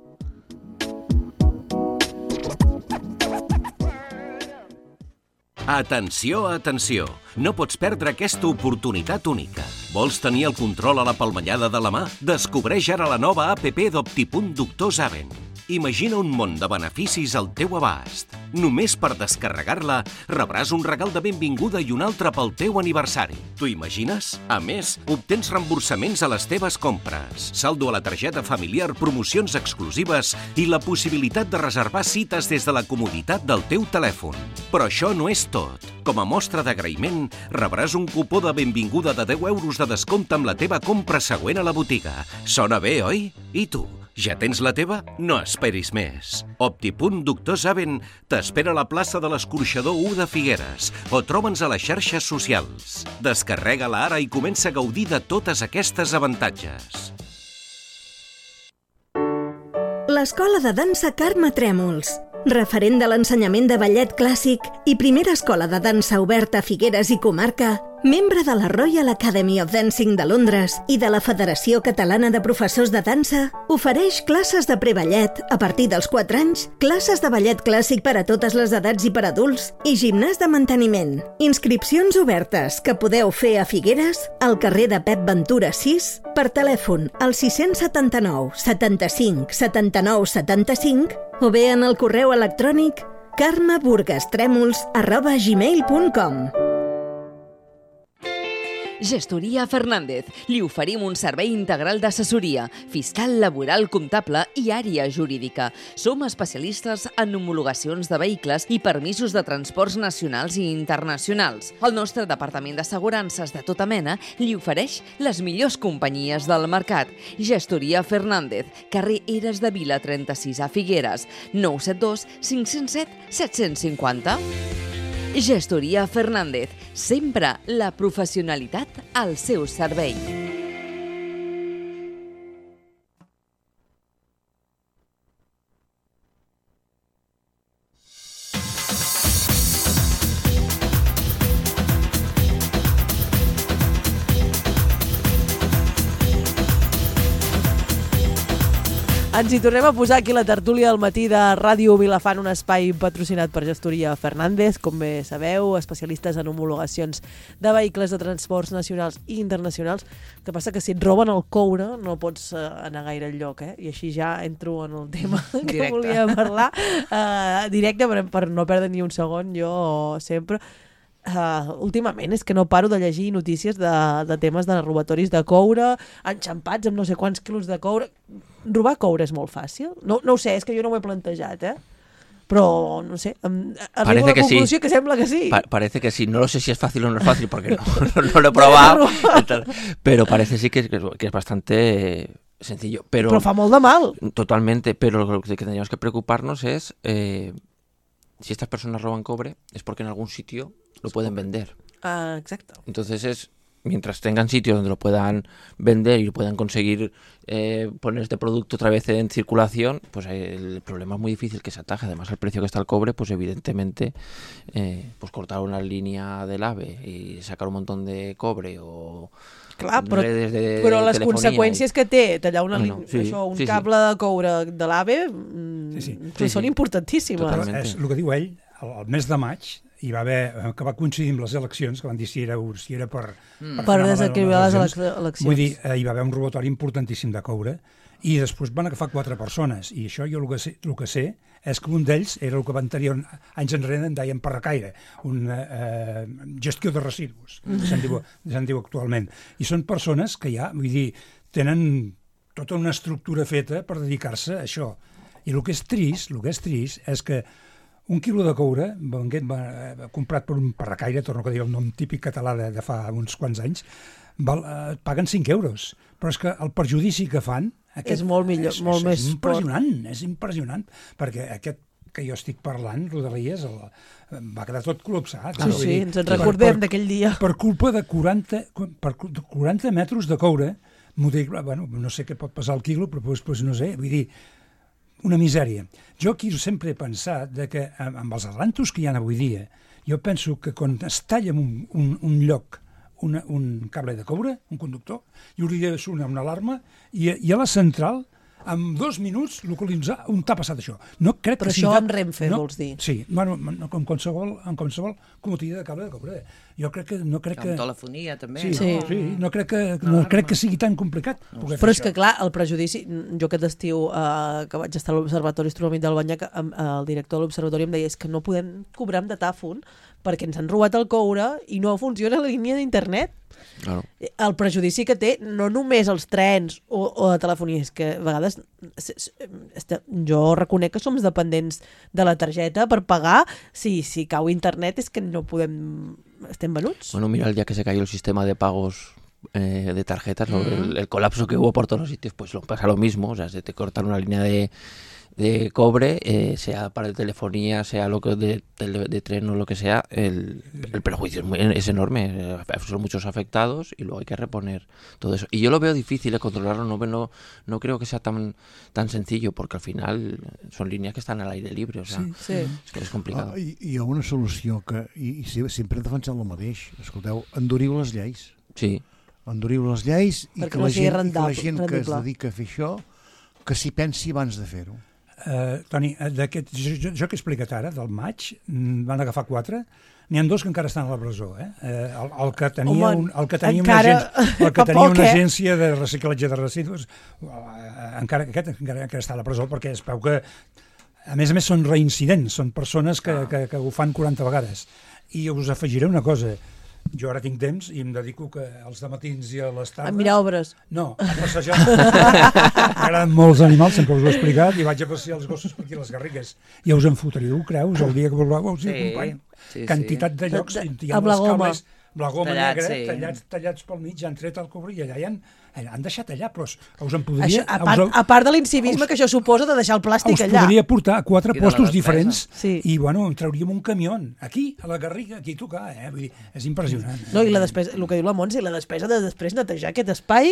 Atenció, atenció! No pots perdre aquesta oportunitat única. Vols tenir el control a la palmellada de la mà? Descobreix ara la nova app d'Optipunt Doctor Zaven. Imagina un món de beneficis al teu abast. Només per descarregar-la rebràs un regal de benvinguda i un altre pel teu aniversari. T'ho imagines? A més, obtens reemborsaments a les teves compres, saldo a la targeta familiar, promocions exclusives i la possibilitat de reservar cites des de la comoditat del teu telèfon. Però això no és tot. Com a mostra d'agraïment, rebràs un cupó de benvinguda de 10 euros de descompte amb la teva compra següent a la botiga. Sona bé, oi? I tu? Ja tens la teva? No esperis més. Optipunt Doctor Saben t'espera a la plaça de l'Escorxador 1 de Figueres o troba'ns a les xarxes socials. Descarrega-la ara i comença a gaudir de totes aquestes avantatges. L'Escola de Dansa Carme Trèmols, referent de l'ensenyament de ballet clàssic i primera escola de dansa oberta a Figueres i comarca, membre de la Royal Academy of Dancing de Londres i de la Federació Catalana de Professors de Dansa, ofereix classes de preballet a partir dels 4 anys, classes de ballet clàssic per a totes les edats i per adults i gimnàs de manteniment. Inscripcions obertes que podeu fer a Figueres, al carrer de Pep Ventura 6, per telèfon al 679 75 79 75 o bé en el correu electrònic carmeburgastremols@gmail.com. Gestoria Fernández. Li oferim un servei integral d'assessoria, fiscal, laboral, comptable i àrea jurídica. Som especialistes en homologacions de vehicles i permisos de transports nacionals i internacionals. El nostre departament d'assegurances de tota mena li ofereix les millors companyies del mercat. Gestoria Fernández, carrer Eres de Vila 36 a Figueres, 972 507 750. Gestoria Fernández, sempre la professionalitat al seu servei. Ens hi tornem a posar aquí la tertúlia del matí de Ràdio Vilafant, un espai patrocinat per Gestoria Fernández, com bé sabeu, especialistes en homologacions de vehicles de transports nacionals i internacionals. El que passa que si et roben el coure no pots anar gaire enlloc, I així ja entro en el tema que volia parlar. Directe, per no perdre ni un segon, jo sempre... últimament és que no paro de llegir notícies de temes de robatoris de coure, enxampats amb no sé quants quilos de coure. Robar coure és molt fàcil? No ho sé, és que jo no ho he plantejat, però no sé, arribo a la conclusió que sembla que sí. Parece que sí, no lo sé si es fácil o no es fácil porque no lo he probado, pero parece sí que es bastante sencillo. Pero fa molt de mal. Totalmente, pero lo que tendríamos que preocuparnos es si estas personas roban cobre es porque en algún sitio lo pueden vender. Exacto. Entonces mientras tengan sitios donde lo puedan vender y puedan conseguir poner este producto otra vez en circulación, pues el problema es muy difícil que se ataje. Además, al precio que está el cobre, pues evidentemente pues cortar una línea del AVE y sacar un montón de cobre o... Clar, però les conseqüències que té tallar un cable de coure de l'AVE són importantíssimes. És el que diu ell, el mes de maig hi va haver, que va coincidir amb les eleccions, que van dir si era per desequilibrar les eleccions. Vull dir, hi va haver un robatori importantíssim de coure i després van agafar 4 persones i això jo el que sé és que un d'ells era el que anys enrere en deien parracaire, una gestió de residus, se'n diu actualment. I són persones que ja, vull dir, tenen tota una estructura feta per dedicar-se a això. I el que és trist és que un quilo de coure, comprat per un parracaire, torno a dir el nom típic català de fa uns quants anys, paguen 5 euros. Però és que el perjudici que fan és molt millor, molt més és impressionant, perquè aquest que jo estic parlant, Rodalies, va quedar tot col·lapsat. Sí, ens en recordem d'aquell dia. Per culpa de 40 metres de coure, no sé què pot pesar el quilo, però no sé, vull dir, una misèria. Jo aquí sempre he pensat que amb els adelantos que hi ha avui dia, jo penso que quan es talla en un lloc un cable de coure, un conductor, i hauria de sonar una alarma, i a la central en 2 minuts localitzar on t'ha passat això. No crec però que sigui això amb Renfe, vols dir? Sí, bueno, en qualsevol comodità de cable de cobre. Jo crec que... Amb telefonia, també. Sí, no crec que sigui tan complicat. Però és que, clar, el prejudici... Jo aquest estiu que vaig estar a l'Observatori Astronòmic del Banyac, el director de l'Observatori em deia és que no podem cobrar amb datàfon perquè ens han robat el coure i no funciona la línia d'internet. Claro. El prejudici que té no només els trens o la telefonia, és que a vegades jo reconec que som dependents de la targeta per pagar. Si cau internet és que no podem... Estem venuts. Bueno, mira, el día que se cayó el sistema de pagos de tarjetas, el colapso que hubo por todos los sitios, pues pasa lo mismo, o sea, se te cortan una línea de cobre, sea para telefonía, sea lo que de tren o lo que sea, el perjuicio es enorme, son muchos afectados y luego hay que reponer todo eso. Y yo lo veo difícil de controlarlo, no creo que sea tan sencillo, porque al final son líneas que están al aire libre, o sea, sí. És que és complicat. Hi ha una solució que, i sempre he defensat el mateix, escolteu, enduriu les lleis. Sí. Enduriu les lleis i que la gent que es dedica a fer això, que s'hi pensi abans de fer-ho. Toni, jo que he explicat ara, del maig, van agafar 4, n'hi ha 2 que encara estan a la presó. El que tenia, una agència de reciclatge de residus, encara està a la presó, perquè es veu que, a més són reincidents, són persones que ho fan 40 vegades. I us afegiré una cosa, jo ara tinc temps i em dedico als dematins i a les tardes... A mirar obres. No, a passejar. M'agraden molts animals, sempre us ho he explicat, i vaig a passejar els gossos per aquí a les Garrigues. I us en fotríeu, creus, el dia que voleu, us hi acompanyo. Quantitat de llocs, hi ha les cables, la goma negra, tallats pel mig, han tret el cobre i allà han deixat allà, però us en podria... A part de l'incivisme que això suposa de deixar el plàstic allà. Us podria portar a 4 postos diferents i, bueno, en trauríem un camió aquí, a la Garriga, aquí a tocar, vull dir, és impressionant. No, i la despesa, el que diu la Montse, la despesa de després netejar aquest espai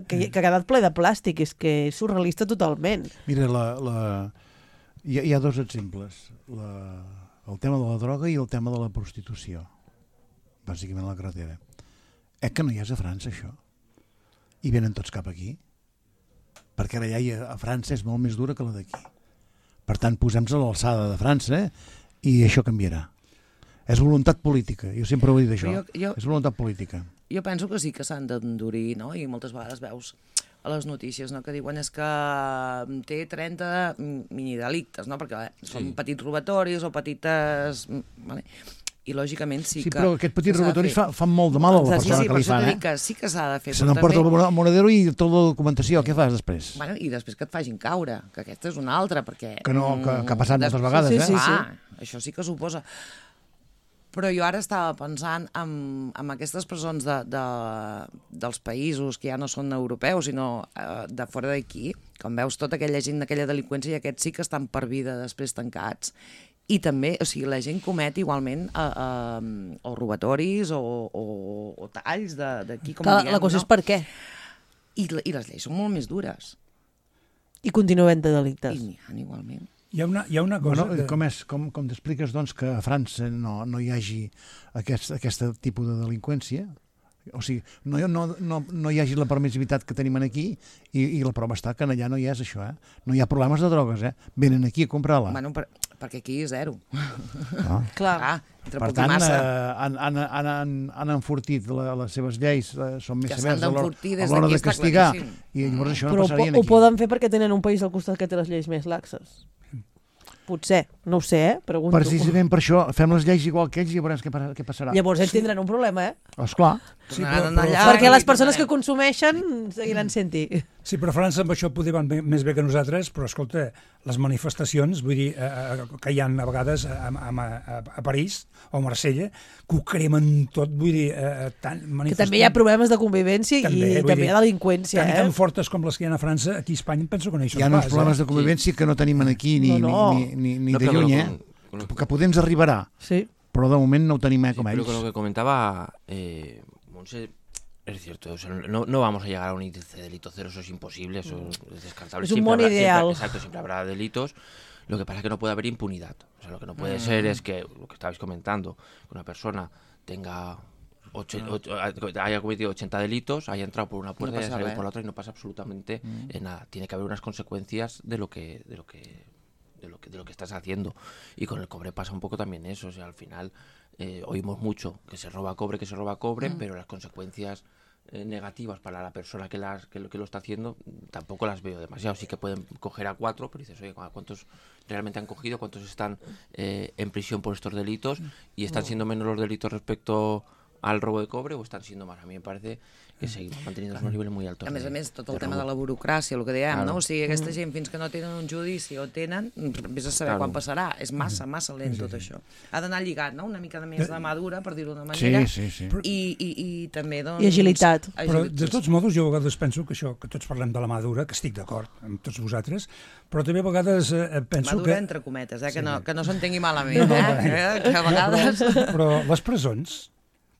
que ha quedat ple de plàstic, és que és surrealista totalment. Mira, hi ha 2 exemples, el tema de la droga i el tema de la prostitució, bàsicament a la carretera. Que no hi és a França, això? I venen tots cap aquí? Perquè la llei a França és molt més dura que la d'aquí. Per tant, posem-nos a l'alçada de França i això canviarà. És voluntat política, jo sempre ho he dit això, és voluntat política. Jo penso que sí que s'han d'endurir, no? I moltes vegades veus a les notícies, no?, que diuen és que té 30 minidelictes, no?, perquè són petits robatoris o petites... Vale? I lògicament sí que... Sí, però aquests petits robatoris fan molt de mal a la persona que li fan, Sí que s'ha de fer. Se n'emporta el monedero i tota la documentació, què fas després? Bueno, i després que et facin caure, que aquesta és una altra, perquè... Que ha passat moltes vegades, això sí que suposa. Però jo ara estava pensant en aquestes presons dels països que ja no són europeus, sinó de fora d'aquí, quan veus tota aquella gent d'aquella delinqüència i aquests sí que estan per vida després tancats. I també, o sigui, la gent comet igualment o robatoris o talls d'aquí, com diem. La cosa és per què. I les lleis són molt més dures. I continuen havent de delictes. I n'hi ha igualment. Hi ha una cosa... Com t'expliques, doncs, que a França no hi hagi aquest tipus de delinqüència? O sigui, no hi hagi la permissivitat que tenim aquí i la prova està que allà no hi és això, No hi ha problemes de drogues, Venen aquí a comprar-la. Bueno, perquè aquí és zero. Clar. Per tant, han enfortit les seves lleis, són més severs a l'hora de castigar, i llavors això no passarien aquí. Però ho poden fer perquè tenen un país al costat que té les lleis més laxes. Potser, no ho sé, pregunto. Precisament per això, fem les lleis igual que ells i veurem què passarà. Llavors ells tindran un problema, Esclar. Sí, perquè les persones que consumeixen seguiran sent-hi. Sí, però França amb això poder van més bé que nosaltres, però escolta, les manifestacions, vull dir, que hi ha a vegades a París o a Marsella, que ho cremen tot, vull dir... Que també hi ha problemes de convivència i també hi ha delinqüència, Tan fortes com les que hi ha a França, aquí a Espanya penso que no hi són pas. Hi ha uns problemes de convivència que no tenim aquí ni de lluny, que potser ens arribarà, però de moment no ho tenim com ells. Pero con lo que comentaba Montse, es cierto, o sea, no vamos a llegar a un índice de delito cero, eso es imposible, eso es descartable. Es un buen ideal. Exacto, siempre habrá delitos. Lo que pasa es que no puede haber impunidad. O sea, lo que no puede ser es que, lo que estabais comentando, que una persona tenga haya cometido 80 delitos, haya entrado por una puerta y haya salido por la otra y no pasa absolutamente nada. Tiene que haber unas consecuencias de lo que estás haciendo. Y con el cobre pasa un poco también eso. O sea, al final oímos mucho que se roba cobre, pero las consecuencias negativas para la persona que lo está haciendo tampoco las veo demasiado. Sí que pueden coger a 4, pero dices, oye, ¿cuántos realmente han cogido? ¿Cuántos están en prisión por estos delitos? ¿Y están siendo menos los delitos respecto al robo de cobre o están siendo más? A mí me parece que seguimos manteniendo unos nivells molt altos. A més, tot el tema de la burocràcia, el que dèiem, no? O sigui, aquesta gent fins que no tenen un judici o tenen, vés a saber quan passarà. És massa lent tot això. Ha d'anar lligat, no? Una mica de més de madura, per dir-ho d'una manera. Sí. I també, doncs... I agilitat. Però, de tots modos, jo a vegades penso que això, que tots parlem de la madura, que estic d'acord amb tots vosaltres, però també a vegades penso madura entre cometes, que no s'entengui malament, que a vegades... Però les presons...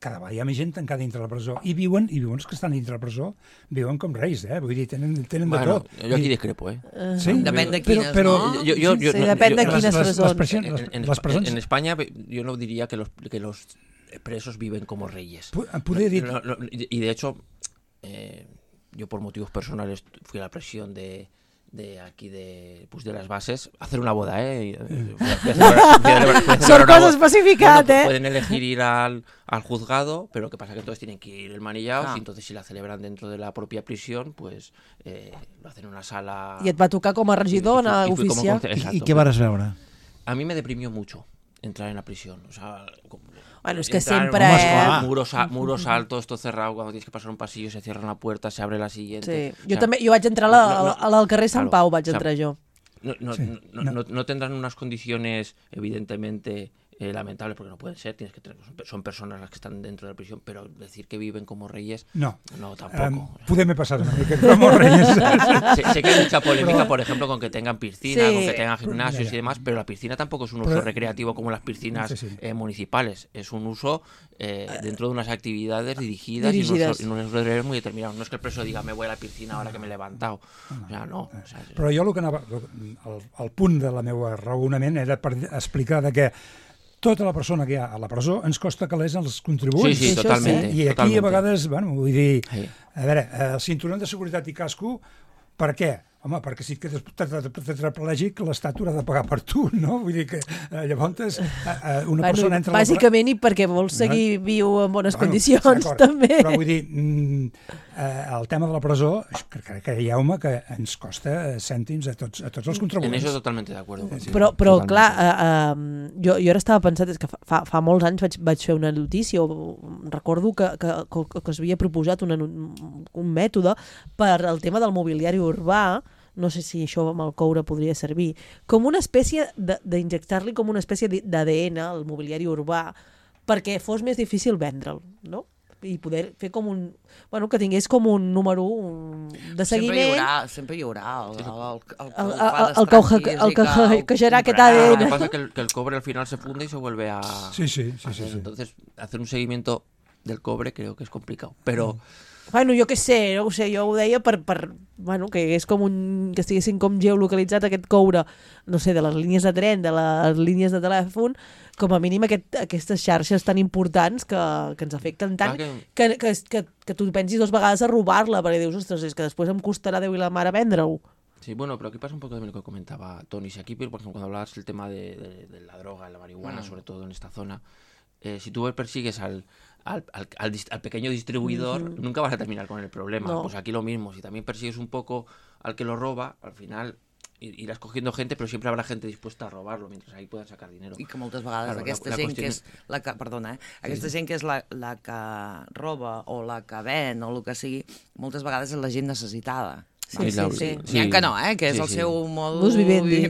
Cada vegada hi ha més gent tancada dintre la presó i viuen els que estan dintre la presó viuen com reis, vull dir, tenen de tot. Jo aquí discrepo, Sí? Depèn de quines, no? Depèn de quines presons. En España yo no diría que los presos viven como reyes. Y de hecho, yo por motivos personales fui a la prisión de las bases, hacer una boda, Son cosas especificadas, bueno, pueden elegir ir al juzgado, pero lo que pasa es que entonces tienen que ir el manillados, y entonces si la celebran dentro de la propia prisión, pues lo hacen en una sala... I et va tocar com a regidor, a oficiar. I què vas veure? A mí me deprimió mucho entrar en la prisión, o sea... Bueno, es que siempre... Muros altos, todo cerrado, cuando tienes que pasar un pasillo, se cierra una puerta, se abre la siguiente. Sí. Jo vaig entrar al carrer Sant Pau, vaig entrar jo. No tendrán unas condiciones, evidentemente, lamentables, porque no pueden ser, son personas las que están dentro de la prisión, pero decir que viven como reyes, no tampoco. Podem passar una mica como reyes. Sé que hay mucha polémica, por ejemplo, con que tengan piscina, con que tengan gimnasios y demás, pero la piscina tampoco es un uso recreativo como las piscinas municipales, es un uso dentro de unas actividades dirigidas. Y unos horarios muy determinados. No es que el preso diga, me voy a la piscina ahora que me he levantado. O sea, no. Però jo el punt de la meva raonament era per explicar que tota la persona que hi ha a la presó ens costa calés els contribuents. Sí, totalment. I aquí a vegades, vull dir, a veure, el cinturó de seguretat i casco, per què? Home, perquè si et quedes tetraplègic, l'Estat haurà de pagar per tu, no? Vull dir que llavors una persona entra... Bàsicament i perquè vols seguir viu en bones condicions, també. Però vull dir, el tema de la presó, crec que home, que ens costa cèntims a tots els contribuents. En eso totalmente de acuerdo. Però clar, jo ara estava pensant, és que fa molts anys vaig fer una notícia, recordo que es havia proposat un mètode per al tema del mobiliari urbà, no sé si això amb el coure podria servir, com una espècie d'injectar-li com una espècie d'ADN al mobiliari urbà perquè fos més difícil vendre'l, no? I poder fer com un... Bueno, que tingués com un número de seguiment. Sempre hi haurà el que hackejarà aquest ADN. Lo que pasa es que el cobre al final se funde y se vuelve a... Sí. Entonces, hacer un seguimiento del cobre creo que es complicado, pero... Bueno, jo què sé, no ho sé, jo ho deia per bueno, que és com que estiguessin com geolocalitzat aquest coure, no sé, de les línies de tren, de les línies de telèfon, com a mínim aquestes xarxes tan importants que ens afecten tant, que tu pensis 2 vegades a robar-la, perquè dius, ostres, és que després em costarà Déu i la mare vendre-ho. Sí, bueno, pero aquí pasa un poco también lo que comentaba Tony. Si aquí, por ejemplo, cuando hablabas del tema de la droga, la marihuana, sobre todo en esta zona, si tú persigues al pequeño distribuidor, nunca vas a terminar con el problema. No. Pues aquí lo mismo, si también persigues un poco al que lo roba, al final iràs cogiendo gente, però sempre habrà gente dispuesta a robarlo, mentre ahí puedan sacar dinero. I que moltes vegades aquesta gent que és la que, perdona, aquesta gent que és la que roba o la que ven o el que sigui, moltes vegades és la gent necessitada. Sí. N'hi ha que no, que és el seu modus vivendi,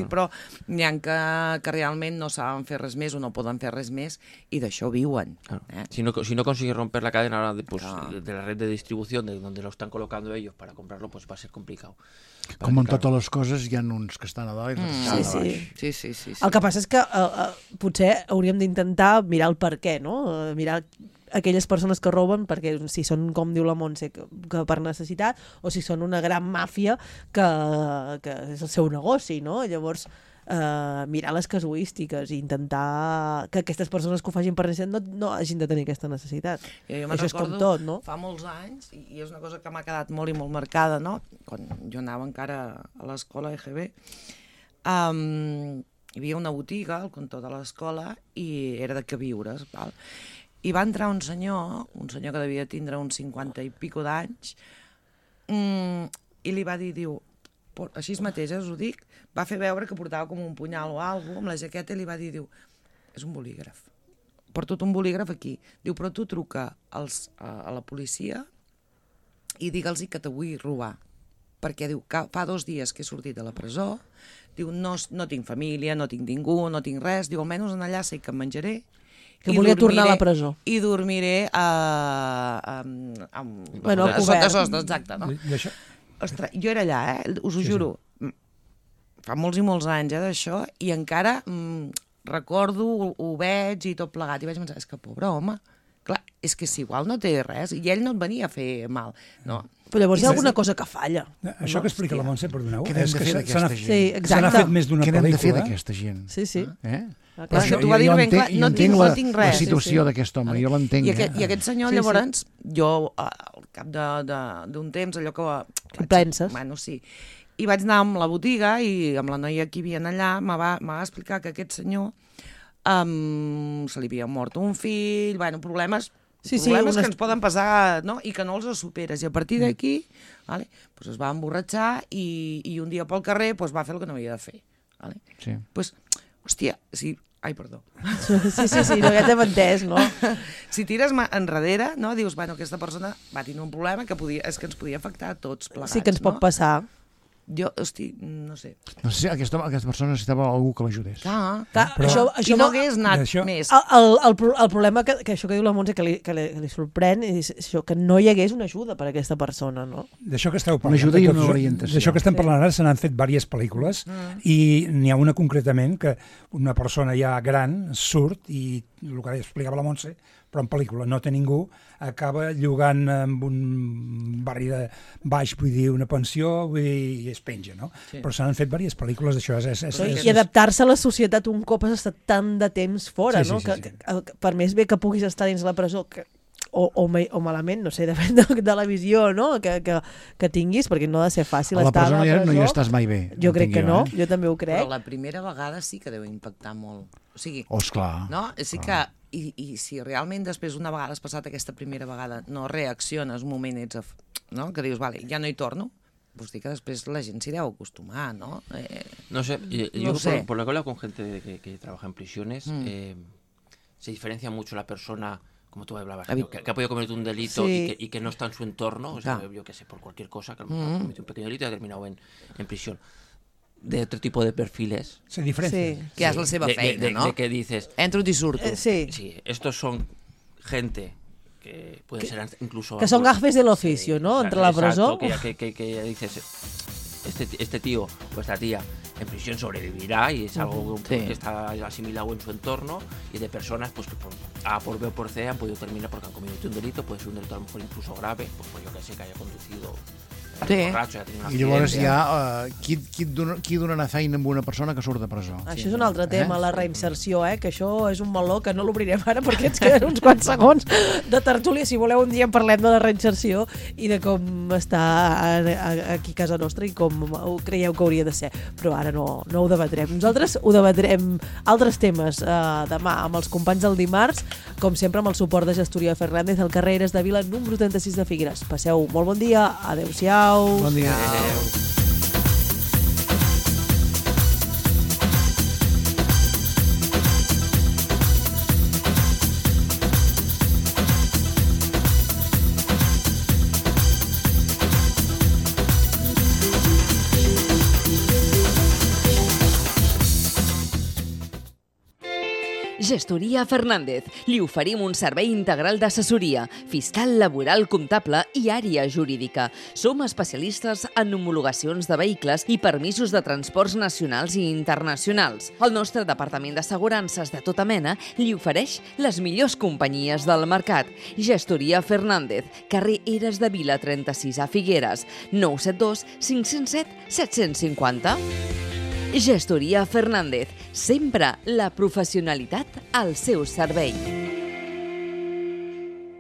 però n'hi ha que realment no saben fer res més o no poden fer res més i d'això viuen. Si no consigues romper la cadena de la red de distribución de donde lo están colocando ellos para comprarlo, pues va a ser complicado. Com en totes les coses hi ha uns que estan a dalt i uns que estan a baix. Sí. El que passa és que potser hauríem d'intentar mirar el per què, no? Mirar aquelles persones que roben, perquè si són, com diu la Montse, que per necessitat, o si són una gran màfia que és el seu negoci, no? Llavors, mirar les casuístiques i intentar que aquestes persones que ho facin per necessitat no hagin de tenir aquesta necessitat. Això és com tot, no? Fa molts anys, i és una cosa que m'ha quedat molt i molt marcada, no? Quan jo anava encara a l'escola EGB, hi havia una botiga al cantó de l'escola i era de queviures, val? I va entrar un senyor que devia tindre uns 50 i pico d'anys, i li va dir, diu, així mateix, us ho dic, va fer veure que portava com un punyal o alguna cosa, amb la jaqueta, i li va dir, diu, és un bolígraf. Porto un bolígraf aquí. Diu, però tu truca a la policia i digue'ls que te vull robar. Perquè, diu, que fa 2 dies que he sortit de la presó, diu, no tinc família, no tinc ningú, no tinc res, diu, almenys allà sé que em menjaré, que volia tornar a la presó. I dormiré sota sostre, exacte, no? Ostres, jo era allà, us ho juro, fa molts i molts anys d'això, i encara recordo, ho veig i tot plegat, i vaig pensar, és que pobre home, clar, és que si igual no té res, i ell no et venia a fer mal, no? Però llavors hi ha alguna cosa que falla. Això que explica la Montse, perdoneu, què n'hem de fer d'aquesta gent? Se n'ha fet més d'una pel·lícula. Què n'hem de fer d'aquesta gent? Sí. És que t'ho va dir ben clar, no tinc res. La situació d'aquest home, jo l'entenc. I aquest senyor, llavors, jo, al cap d'un temps, allò que... Què penses? Bueno, sí. I vaig anar amb la botiga i amb la noia que hi havia allà, me va explicar que aquest senyor se li havia mort un fill, bueno, problemes que ens poden passar, no? I que no els superes. I a partir d'aquí es va emborratxar i un dia pel carrer va fer el que no havia de fer. Doncs, hòstia, sí... Ai, perdó. Sí, no, ja t'hem entès, no? Si tires enrere, no, dius, bueno, aquesta persona va tenir un problema que és que ens podia afectar a tots plegats. Sí que ens pot passar. Jo, hosti, no sé. No sé, aquesta persona necessitava algú que l'ajudés. Clar, això i no hagués anat més. El problema que això que diu la Montse que li sorprèn és això, que no hi hagués una ajuda per a aquesta persona, no? D'això que esteu parlant. Una ajuda i una orientació. D'això que estem parlant ara se n'han fet diverses pel·lícules i n'hi ha una concretament que una persona ja gran surt i el que explicava la Montse, però en pel·lícula no té ningú, acaba llogant en un barri de baix, vull dir, una pensió, i es penja, no? Sí. Però s'han fet diverses pel·lícules d'això. I adaptar-se a la societat un cop has estat tant de temps fora, no? Que per més bé que puguis estar dins la presó, o malament, no sé, depèn de la visió, no? que tinguis, perquè no ha de ser fàcil estar a la presó. No hi estàs mai bé. Jo crec que no, jo també ho crec. Però la primera vegada sí que deu impactar molt. O sigui, esclar. No? Sí que... I si realment després una vegada has passat aquesta primera vegada no reacciones, un moment no? Que dius, vale, ja no hi torno, pues dir que després la gent s'hi deu acostumar, ¿no? No sé, yo por lo que hablo con gente que trabaja en prisiones, se diferencia mucho la persona, como tú hablabas, que ha podido cometer un delito y que no está en su entorno, o sea, yo qué sé, por cualquier cosa, que ha cometido un pequeño delito y ha terminado en prisión. De otro tipo de perfiles. Se diferencia. Sí. Que es la seva feina, ¿no? De que dices... Entro y surto. Sí, estos son gente que pueden ser incluso... Que son gafes del oficio, ¿no? Entre la presó. Que dices, este tío o esta tía en prisión sobrevivirá y es algo que está asimilado en su entorno, y de personas pues que por A, por B o por C han podido terminar porque han cometido un delito, puede ser un delito a lo mejor incluso grave, pues yo que sé, que haya conducido... I llavors hi ha qui donarà feina amb una persona que surt de presó. Això és un altre tema, la reinserció, que això és un meló que no l'obrirem ara perquè ens queden uns quants segons de tertúlia. Si voleu un dia en parlem de la reinserció i de com està aquí a casa nostra i com ho creieu que hauria de ser, però ara no ho debatrem. Nosaltres ho debatrem altres temes demà amb els companys del dimarts, com sempre amb el suport de Gestoria Fernández al carrer Eres de Vila número 36 de Figueres. Passeu molt bon dia, adeu-siau. Bon dia. Gestoria Fernández. Li oferim un servei integral d'assessoria, fiscal, laboral, comptable i àrea jurídica. Som especialistes en homologacions de vehicles i permisos de transports nacionals i internacionals. El nostre departament d'assegurances de tota mena li ofereix les millors companyies del mercat. Gestoria Fernández, carrer Eres de Vila 36 a Figueres, 972 507 750. Gestoria Fernández, sempre la professionalitat al seu servei.